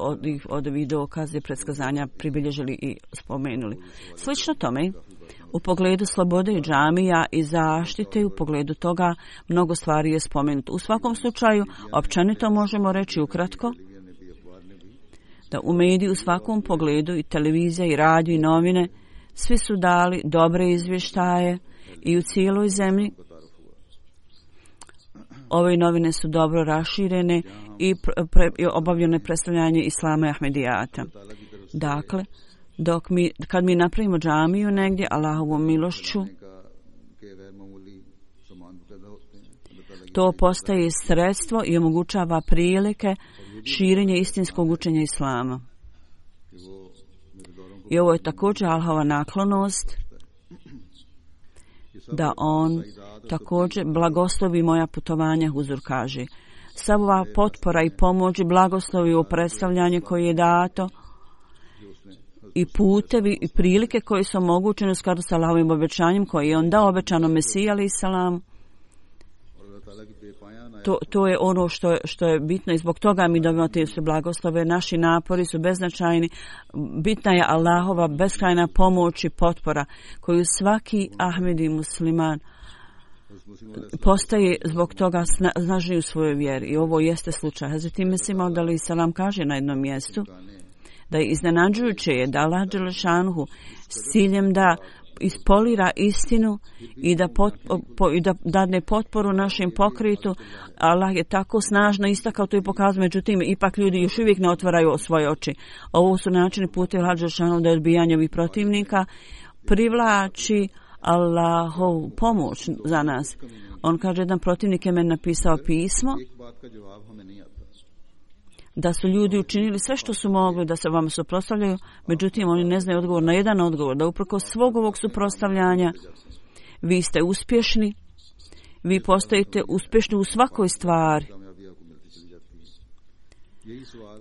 C: od ovih dokaze predskazanja pribilježili i spomenuli. Slično tome, u pogledu slobode i džamija i zaštite, u pogledu toga mnogo stvari je spomenuto. U svakom slučaju, općenito možemo reći ukratko da u mediji u svakom pogledu i televizija i radio i novine svi su dali dobre izvještaje i u cijeloj zemlji. Ove novine su dobro raširene i obavljene predstavljanje Islama i Ahmedijata. Dakle, kad mi napravimo džamiju negdje, Allahovom milošću, to postaje sredstvo i omogućava prilike širenja istinskog učenja Islama. I ovo je također Allahova naklonost da on također blagoslovi moja putovanja, Huzur kaže. Sav ova potpora i pomoć i blagoslovi u predstavljanje koje je dato i putevi i prilike koje su omogućene u skladu sa Allahovim obećanjem koje je on dao obećano Mesiji alejhi selam. To je ono što je bitno i zbog toga mi dobivamo te sve blagoslove. Naši napori su beznačajni. Bitna je Allahova beskrajna pomoć i potpora koju svaki Ahmedi musliman postaje zbog toga snažniji u svojoj vjeri. I ovo jeste slučaj. Hazreti Mesih Maud alejhi selam kaže na jednom mjestu da je iznenađujuće je da Allah dželešanu s ciljem da ispolira istinu i da dadne potporu našem pokretu. Allah je tako snažno istakao to i pokazao, međutim ipak ljudi još uvijek ne otvaraju svoje oči. Ovo su načini putevi Allah dželešanu da odbijanje ovih protivnika privlači Allahov pomoć za nas. On kaže, jedan protivnik je meni napisao pismo da su ljudi učinili sve što su mogli da se vama suprotstavljaju, međutim oni ne znaju odgovor na jedan odgovor, da uprkos svog ovog suprotstavljanja vi ste uspješni, vi postajete uspješni u svakoj stvari.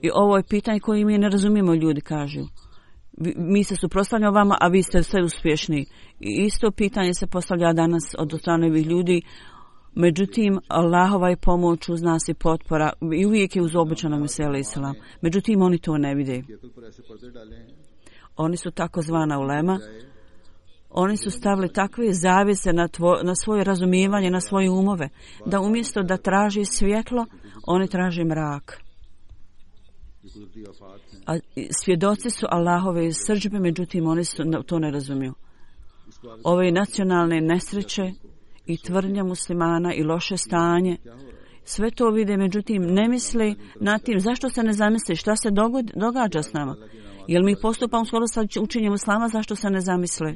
C: I ovo je pitanje koje mi ne razumijemo, ljudi kažu. Mi se suprotstavljamo vama, a vi ste sve uspješni. I isto pitanje se postavlja danas od strane ovih ljudi. Međutim, Allahova je pomoć uz nas i potpora i uvijek je uz obećano Mesija alejhi selam. Međutim, oni to ne vide. Oni su takozvana ulema. Oni su stavili takve zavjese na svoje razumijevanje, na svoje umove, da umjesto da traži svjetlo, oni traže mrak. A svjedoci su Allahove srdžbe, međutim, oni to ne razumiju. Ove nacionalne nesreće i tvrdnja muslimana i loše stanje, sve to vide, međutim ne misle nad tim zašto se ne zamisli, šta se događa s nama. Jel mi postupamo skoro sa učenjem Islama, zašto se ne zamisle?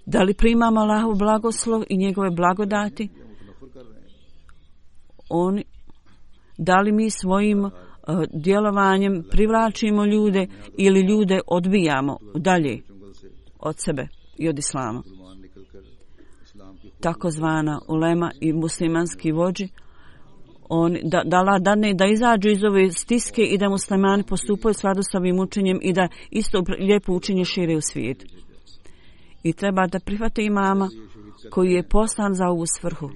C: Da li primamo Allahov blagoslov i njegove blagodati? Da li mi svojim djelovanjem privlačimo ljude ili ljude odbijamo dalje od sebe i od Islama? Takozvana ulema i muslimanski vođi, da izađu iz ove stiske i da muslimani postupaju skladu s ovim učenjem i da isto lijepo učenje šire u svijet. I treba da prihvate imama koji je poslan za ovu svrhu.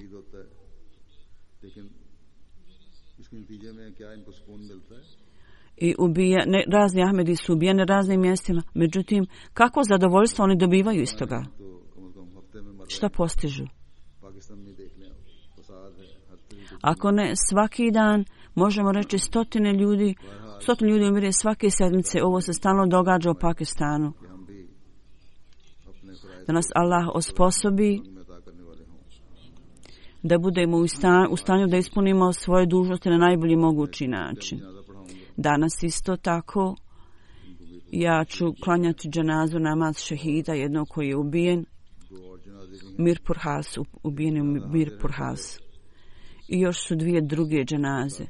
C: I razni Ahmedi su ubijeni na raznim mjestima. Međutim, kako zadovoljstvo oni dobivaju iz toga? Šta postižu? Ako ne, svaki dan možemo reći stotine ljudi umire svake sedmice. Ovo se stalno događa u Pakistanu. Da nas Allah osposobi da budemo u stanju da ispunimo svoje dužnosti na najbolji mogući način. Danas isto tako ja ću klanjati dženazu namaz šehida, jednog koji je ubijen, Mirpur Has, ubijen je Mirpur Has. I još su dvije druge dženaze.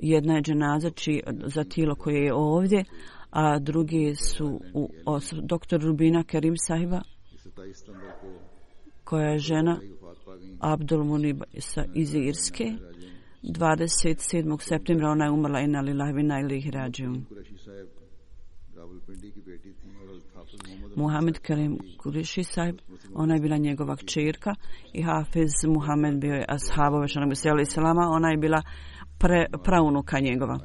C: Jedna je dženaza za tijelo koje je ovdje, a druge su dr. Rubina Karim sahiba. koja je žena Abdul Munib iz Irske. 27. septembra ona je umrla, inna lillahi wa inna ilaihi rađiun. Muhammed Karim Kuriši sahib, ona je bila njegova kćerka, i Hafiz Muhammed bio je ashabove šanabi salama, ona je bila praunuka njegova.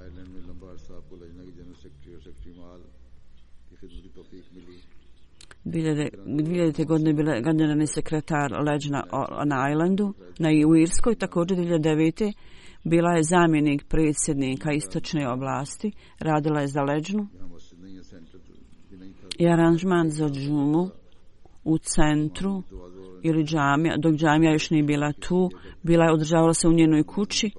C: 2000. godine bila generalni sekretar leđna na Islandu, u Irskoj. Također 2009. bila je zamjenik predsjednika istočne oblasti, radila je za leđnu i aranžman za džumu u centru ili džamija, dok džamija još nije bila tu, održavala se u njenoj kući.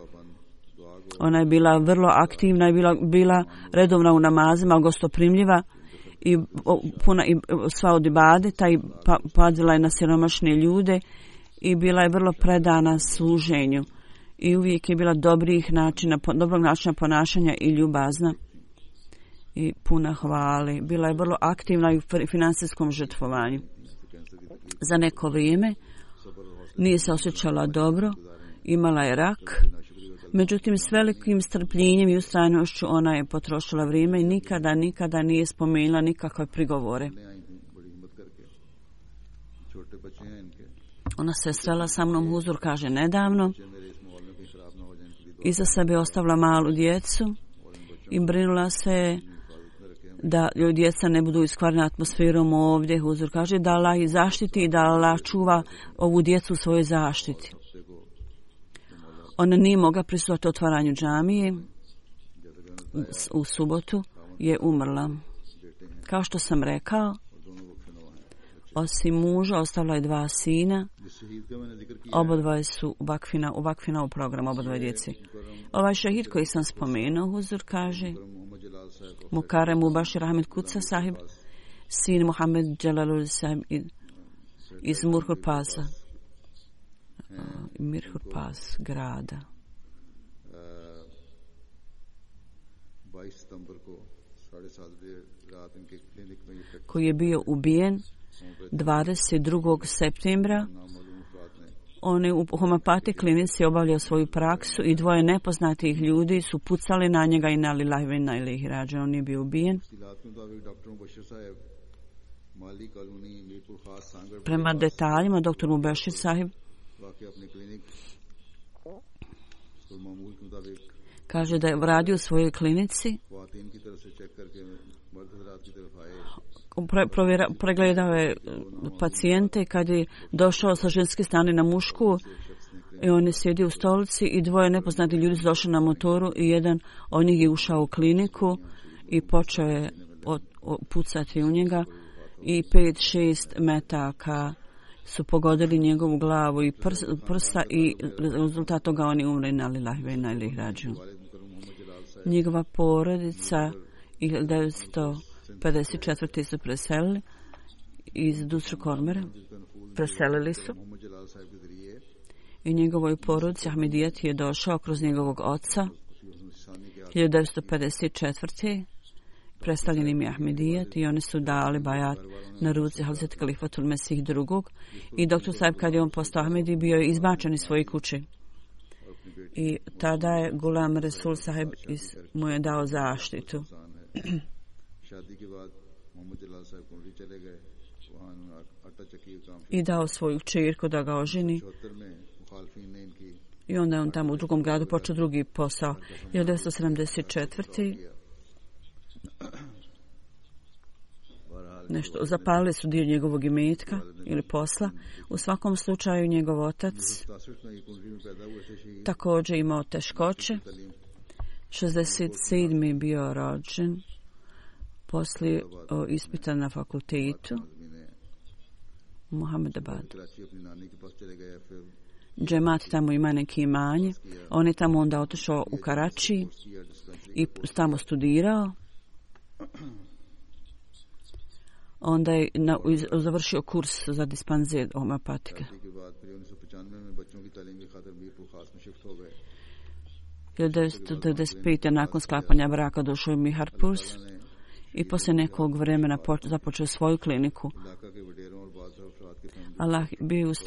C: Ona je bila vrlo aktivna i bila redovna u namazima, gostoprimljiva i puna i sva od ibadeta i pazila je na siromašne ljude i bila je vrlo predana služenju i uvijek je bila dobrog načina ponašanja i ljubazna i puna hvale. Bila je vrlo aktivna i u financijskom žrtvovanju. Za neko vrijeme nije se osjećala dobro, imala je rak, međutim s velikim strpljenjem i ustrajnošću ona je potrošila vrijeme i nikada nije spomenula nikakve prigovore. Ona se srela sa mnom, huzur kaže, nedavno. Iza sebe ostavila malu djecu i brinula se da djeca ne budu iskvarena atmosferom ovdje. Huzur kaže da Allah ih zaštiti i da Allah čuva ovu djecu u svojoj zaštiti. Ona nije mogla prisustvovati otvaranju džamije. U subotu je umrla. Kao što sam rekao, osim muža ostavila je 2 sina. Obodvoje su u Vakfina u programu, obodvoje djeci. Ovaj šehid koji sam spomenuo, huzur kaže, Mukarem Mubashir Ahmed Kuca sahib, sin Muhammed Jalalul sahib iz Mirhur Pasa. Mirhur Pas grada. Koji je bio ubijen 22. septembra. On je u homeopati klinici obavljao svoju praksu i 2 nepoznatih ljudi su pucali na njega i na lillahi wa inna ilaihi rađiun. On je bio ubijen. Prema detaljima, dr. Mubashir sahib kaže da je radio u svojoj klinici, pregledao je pacijente kad je došao sa ženske strane na mušku i on je sjedio u stolici i 2 nepoznati ljudi su došli na motoru i jedan od njih je ušao u kliniku i počeo je pucati u njega i 5-6 metaka su pogodili njegovu glavu i prsa i rezultat toga oni umre na lillahi wa inna ilaihi rađiun. Njegova porodica 1954. su preselili iz Dusru Kormera. Preselili su i njegovoj porodici Ahmedijat je došao kroz njegovog oca 1954. Predstavljen im je Ahmedijat i oni su dali bajat na ruci Hazret Kalifatul Mesih II. I doktor sahib kad je on postao Ahmedi bio je izbačen iz svoje kuće. I tada je Gulam Resul sahib mu je dao zaštitu. I dao svoju kćerku da ga oženi. I onda je on tamo u drugom gradu počeo drugi posao. 1974. Zapalili su dio njegovog imetka ili posla. U svakom slučaju njegov otac također imao teškoće. 67. je bio rođen. Poslije ispita na fakultetu Muhammedabad. Džemat tamo ima neki imanje. On je tamo onda otišao u Karači i tamo studirao. Onda je završio kurs za dispanzir homeopatike. 1995. nakon sklapanja braka došao je Miharpur i poslije nekog vremena započeo svoju kliniku.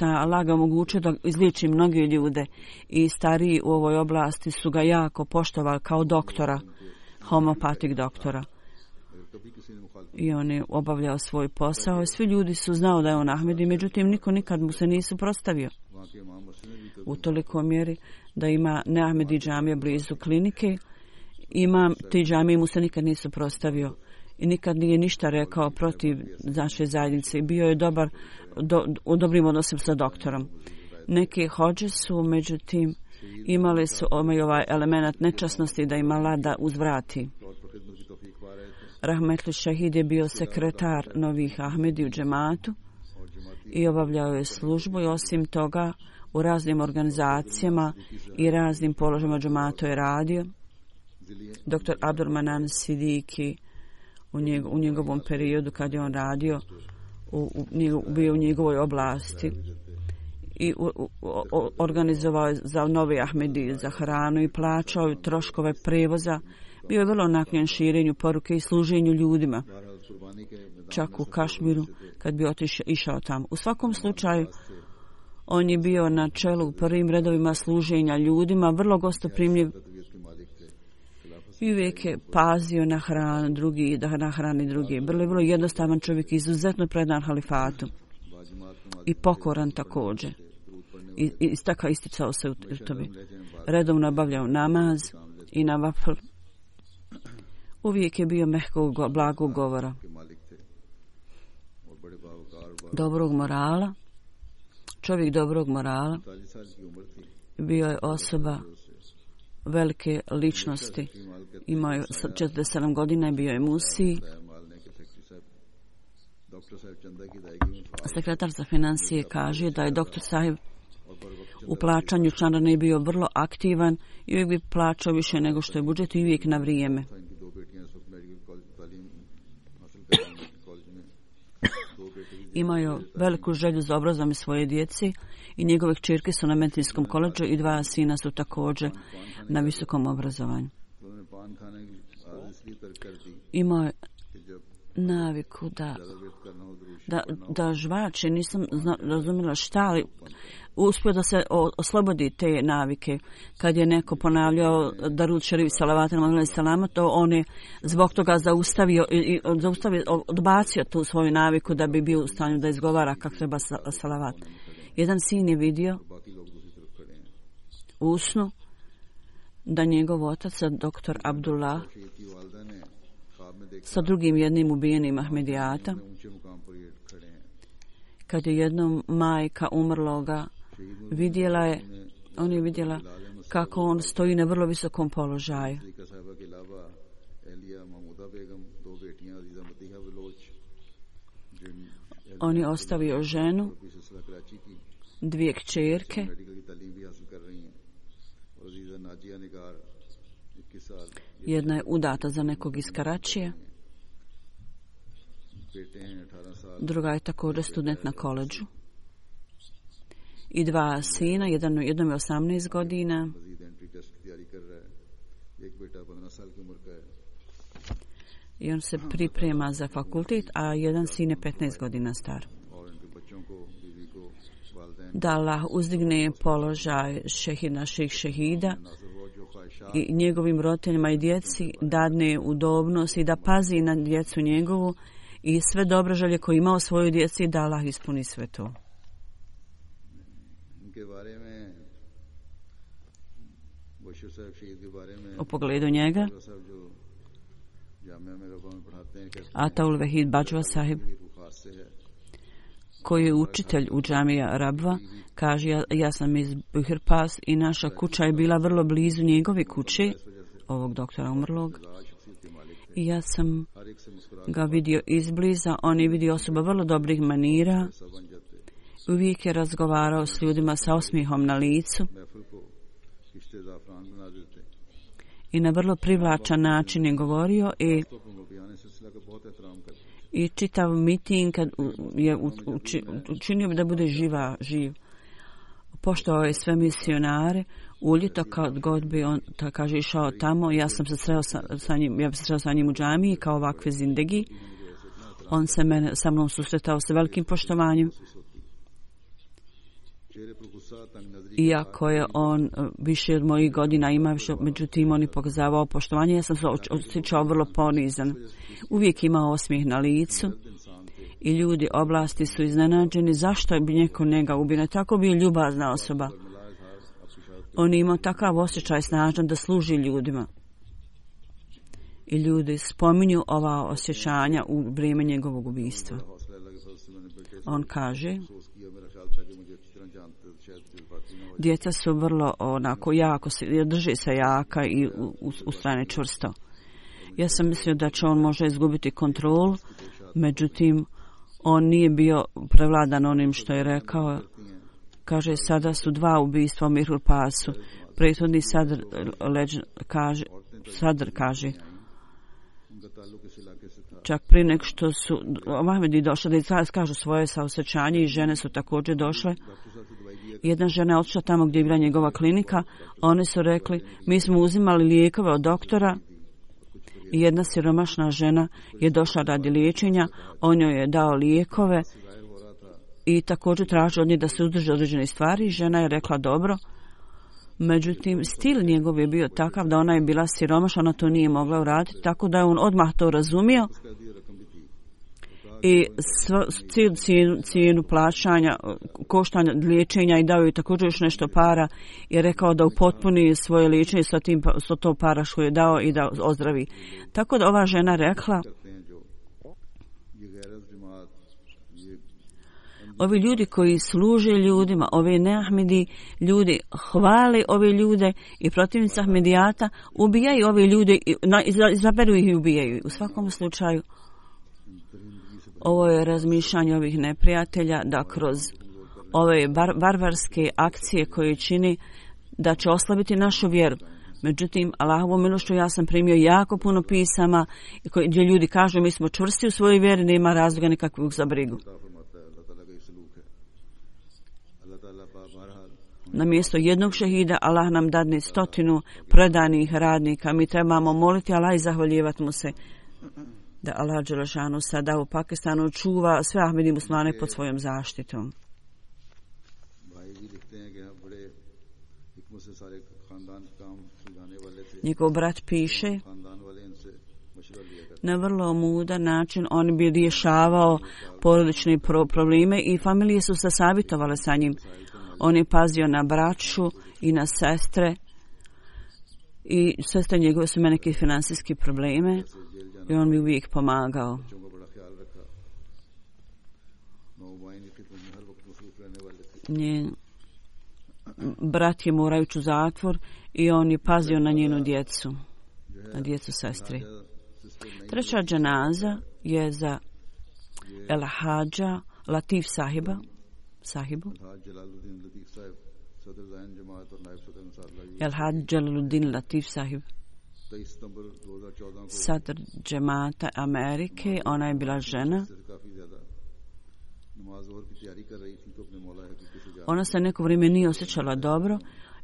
C: Allah ga omogućio da izliječi mnoge ljude i stariji u ovoj oblasti su ga jako poštovali kao doktora, homeopatik doktora. I on je obavljao svoj posao i svi ljudi su znao da je on Ahmedi, međutim niko nikad mu se nisu prostavio. U toliko mjeri da ima neahmedi džamija blizu klinike, ti džamije mu se nikad nisu prostavio i nikad nije ništa rekao protiv naše zajednice. Bio je u dobrim odnosima sa doktorom. Neke hođe su, međutim, imali su ovaj element nečasnosti da im Allah da uzvrati. Rahmetli Šehid je bio sekretar novih Ahmedi u džematu i obavljao je službu i osim toga u raznim organizacijama i raznim položajima džematu je radio. Dr. Abdurmanan Sidiki u njegovom periodu kad je on radio bio u njegovoj oblasti i organizovao je za nove Ahmedi za hranu i plaćao troškove prevoza. Bio je vrlo naklonjen širenju poruke i služenju ljudima, čak u Kašmiru kad bi išao tamo. U svakom slučaju, on je bio na čelu u prvim redovima služenja ljudima, vrlo gostoprimljiv i uvijek je pazio na hranu drugi, da nahrani drugi. Vrlo jednostavan čovjek, izuzetno predan halifatu i pokoran također. I tako isticao se u tome. Redovno obavljao namaz i na vafl. Uvijek je bio mehkog, blagog govora, dobrog morala, čovjek dobrog morala, bio je osoba velike ličnosti, imao je 47 godina i bio je Musi. Sekretar za financije kaže da je doktor Sahib u plaćanju članarine bio vrlo aktivan i uvijek bi plaćao više nego što je budžet i uvijek na vrijeme. Imao je veliku želju za obrazovanje svoje djece i njegove kćerke su na medicinskom koledžu i 2 sina su također na visokom obrazovanju. Imao je naviku da žvače, nisam razumjela šta, ali uspio da se oslobodi te navike. Kad je neko ponavljao Darud Šerif Salavatem alejhi salama, to on je zbog toga odbacio tu svoju naviku da bi bio u stanju da izgovara kako treba salavat. Jedan sin je vidio u snu da njegov otac, doktor Abdullah, sa drugim jednim ubijenim Ahmedijata, kad je jednom majka umrloga on je vidjela kako on stoji na vrlo visokom položaju. On je ostavio ženu, 2 kćerke, jedna je udata za nekog iz Karačija, druga je također student na koledžu i 2 sina, jednom je 18 godina i on se priprema za fakultet, a jedan sin je 15 godina star. Da Allah uzdigne položaj naših šehida i njegovim roditeljima i djeci, dadne udobnost i da pazi na djecu njegovu i sve dobre želje koje ima o svojoj djeci, da Allah ispuni sve to. U pogledu njega, Ataul Vahid Bajwa Sahib, koji je učitelj u džamija Rabva, kaže, ja sam iz Buhirpas i naša kuća je bila vrlo blizu njegove kuće, ovog doktora umrlog, i ja sam ga vidio izbliza. On je vidio osoba vrlo dobrih manira, uvijek je razgovarao s ljudima sa osmijehom na licu i na vrlo privlačan način je govorio i čitav miting kad je učinio da bude živ. Poštovao je sve misionare, u ljeto kad god bi on, kaže, išao tamo, ja sam se sreo sa njim u džamiji kao ovakve zindegi. On se sa mnom susretao sa velikim poštovanjem Iako je on više od mojih godina ima, međutim on je pokazavao poštovanje, ja sam se osjećao vrlo ponizan. Uvijek imao osmijeh na licu i ljudi oblasti su iznenađeni zašto bi neko njega ubio. Tako bio ljubazna osoba. On je imao takav osjećaj snažan da služi ljudima. I ljudi spominju ova osjećanja u vrijeme njegovog ubistva. On kaže, djeca su vrlo onako jako, drži se jaka i u strane čvrsto. Ja sam mislio da će on možda izgubiti kontrolu, međutim on nije bio prevladan onim što je rekao. Kaže, sada su 2 ubistva u Mirhur Pasu. Prethodni Sadr kaže, čak prije nek što su Ahmedi došli da kažu svoje saosjećanje i žene su također došle. Jedna žena je otišla tamo gdje je bila njegova klinika. Oni su rekli, mi smo uzimali lijekove od doktora i jedna siromašna žena je došla radi liječenja. On joj je dao lijekove i također traži od nje da se udrži određene stvari. Žena je rekla dobro. Međutim, stil njegov je bio takav da ona je bila siromašna, ona to nije mogla uraditi, tako da je on odmah to razumio i cijenu plaćanja, koštanja liječenja i dao joj također još nešto para i rekao da upotpuni svoje liječenje sa to para što je dao i da ozdravi. Tako da ova žena rekla, ovi ljudi koji služe ljudima, ove neahmedi ljudi hvale ove ljude i protivnici ahmedijata ubijaju ove ljude, izaberu ih i ubijaju. U svakom slučaju, ovo je razmišljanje ovih neprijatelja da kroz ove barbarske akcije koje čini da će oslabiti našu vjeru. Međutim, Allahovom milošću ja sam primio jako puno pisama gdje ljudi kažu mi smo čvrsti u svojoj vjeri, nema razloga nikakvog za brigu. Na mjesto jednog šehida Allah nam dadne 100 predanih radnika. Mi trebamo moliti Allah i zahvaljivati mu se da Allah dželešanu sada u Pakistanu čuva sve Ahmedi muslimane pod svojom zaštitom. Njegov brat piše, na vrlo mudan način on bi rješavao porodične probleme i familije su se savjetovale sa njim. On je pazio na braću i na sestre i sestre njegove su imale neke financijske probleme i on mi uvijek pomagao. Njen brat je morao ići u zatvor i on je pazio na njenu djecu, na djecu sestre. Treća dženaza je za El Hadža Latif sahibu. El Hadž Jalaluddin Latif sahib, sadr džemata Amerike, ona je bila žena. Ona se neko vrijeme nije osjećala dobro,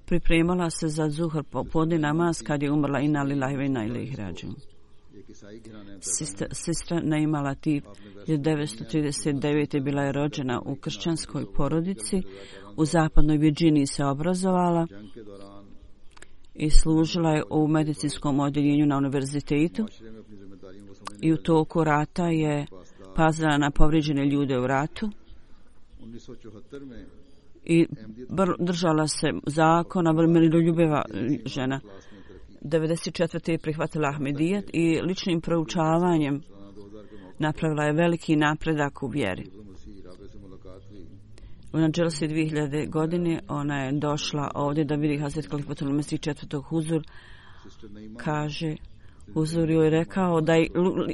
C: pripremala se za zuhr popodne namaz kad je umrla inna lillahi wa inna ilaihi rađiun. Sestra Naima Latif 1939. bila je rođena u kršćanskoj porodici. U zapadnoj Virginiji se obrazovala i služila je u medicinskom odjeljenju na univerzitetu. I u toku rata je pazila na povrijeđene ljude u ratu i držala se zakona, miroljubiva žena. 1994. je prihvatila Ahmedijet i ličnim proučavanjem napravila je veliki napredak u vjeri. U Nadželsi 2000. godine ona je došla ovdje da vidi Hazret Kalifatul Mesih četvrtog Huzur. Kaže, Huzur joj je rekao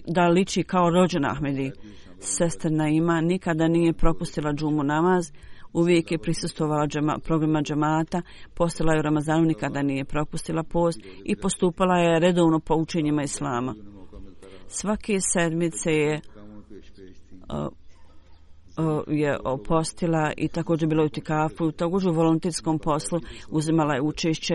C: da liči kao rođena Ahmedi. Sestra Naima nikada nije propustila džumu namaz, uvijek je prisustvovala programa džamata, postala je u Ramazanu, nikada nije propustila post i postupala je redovno po učenjima Islama. Svake sedmice je postila i također bila u itikafu, također u volonterskom poslu uzimala je učešće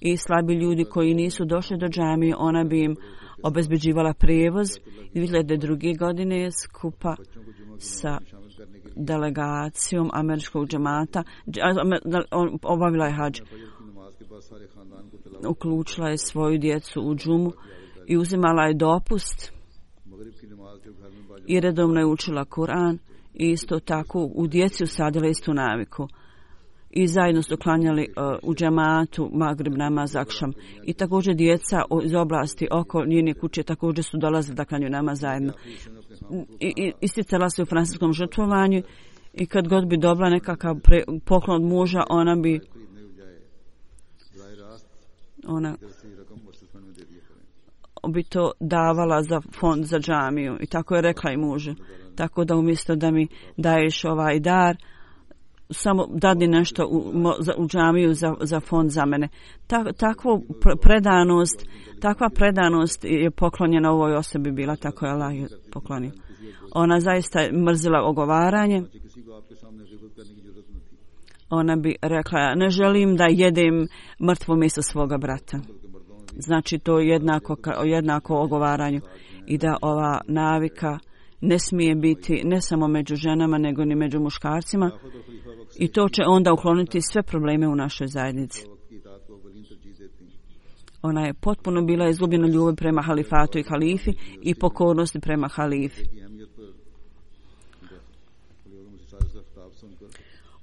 C: i slabi ljudi koji nisu došli do džamije, ona bi im obezbeđivala prijevoz. 2002. godine skupa sa delegacijom američkog džemata, obavila je hadž. Uključila je svoju djecu u džumu i uzimala je dopust i redovno je učila Kur'an i isto tako u djeci usadila istu naviku. I zajedno su klanjali u džematu Magrib namaz akšam. I također djeca iz oblasti oko njene kuće također su dolazili da klanjaju namaz zajedno. I isticala se u francuskom žrtvovanju i kad god bi dobila nekakav poklon od muža, ona bi to davala za fond za džamiju. I tako je rekla i mužu. Tako da umjesto da mi daješ ovaj dar, samo dadni nešto u džamiju za fond za mene. Takva predanost je poklonjena ovoj osobi bila, tako je Allah poklonio. Ona zaista je mrzila ogovaranje. Ona bi rekla, ne želim da jedem mrtvo mjesto svoga brata. Znači to je jednako ogovaranju. I da ova navika ne smije biti ne samo među ženama, nego ni među muškarcima. I to će onda ukloniti sve probleme u našoj zajednici. Ona je potpuno bila izgubljena ljubav prema halifatu i halifi i pokornosti prema halifi.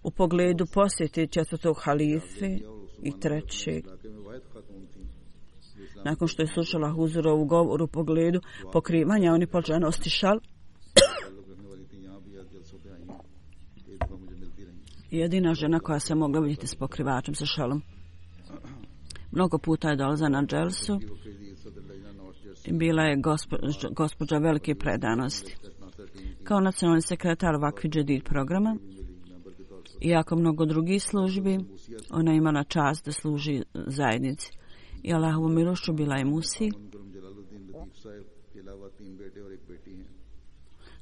C: U pogledu posjeti četvrtog halife i trećeg, nakon što je slušala Huzurovu govor u pogledu pokrivanja oni počela nositi šal. Jedina žena koja se mogla vidjeti s pokrivačem sa šalom. Mnogo puta je dolazila na dželsu i bila je gospođa velike predanosti. Kao nacionalni sekretar Vakfi Džedid programa, iako mnogo drugih službi, ona je imala čast da služi zajednici. I Allahovu milošću bila je Musi,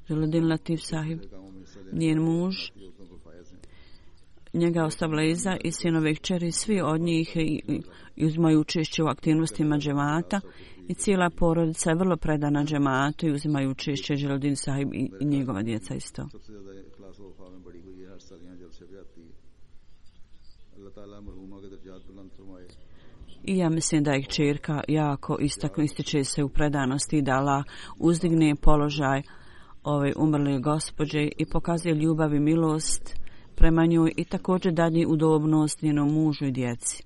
C: Jalaluddin Latif sahib, njen muž, njega ostavila iza i sinove i kćeri, svi od njih uzimaju učešće u aktivnostima džemata i cijela porodica je vrlo predana džematu i uzimaju učešće Jalaluddin sahib i njegova djeca isto. I ja mislim da je kćerka jako ističe se u predanosti, da Allah uzdigne položaj ove umrle gospođe i pokazuje ljubav i milost prema njoj i također dadne udobnost njenom mužu i djeci.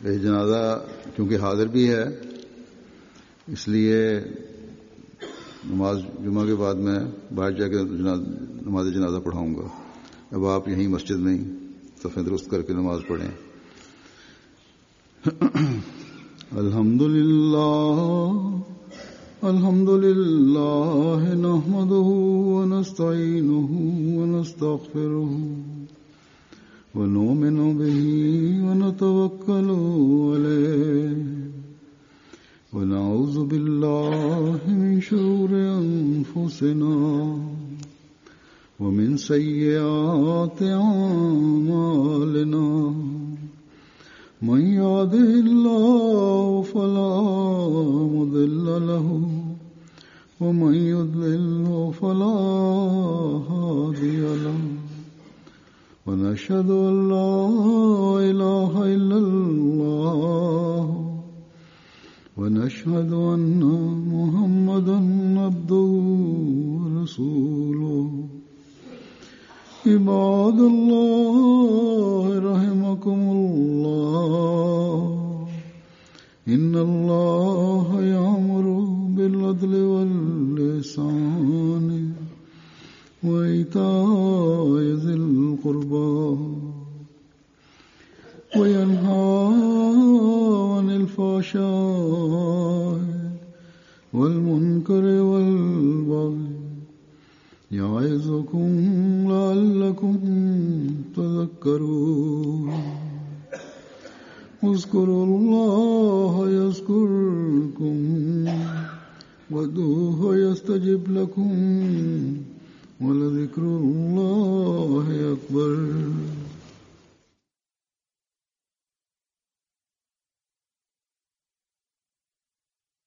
B: ये जनाजा क्योंकि हाजिर भी है, इसलिए नमाज जुमा के बाद मैं बाहर जाकर नमाज जनाजा पढ़ाऊंगा. अब आप यहीं मस्जिद में सफ़े दुरुस्त करके नमाज पढ़ें. अल्हम्दुलिल्लाह नहमदुहु व नस्तईनुहु व नस्तगफिरुहु व नुमिनु बिही व नतवक्कलु अलैहि व नऊज़ु बिल्लाहि मिन शुरूरि अनफुसिना व मिन सय्यिआति अमालिना. من يهده الله فلا مضل له ومن يضلل فلا هادي له ونشهد أن لا إله إلا الله ونشهد أن محمدا عبده ورسوله. عباد الله رحمكم الله إن الله يأمر بالعدل والإحسان وإيتاء ذي القربى وينهى عن الفحشاء والمنكر والبغي يعظكم لعلكم تذكرون. اذكروا الله يذكركم وادعوه يستجب لكم ولذكر الله أكبر.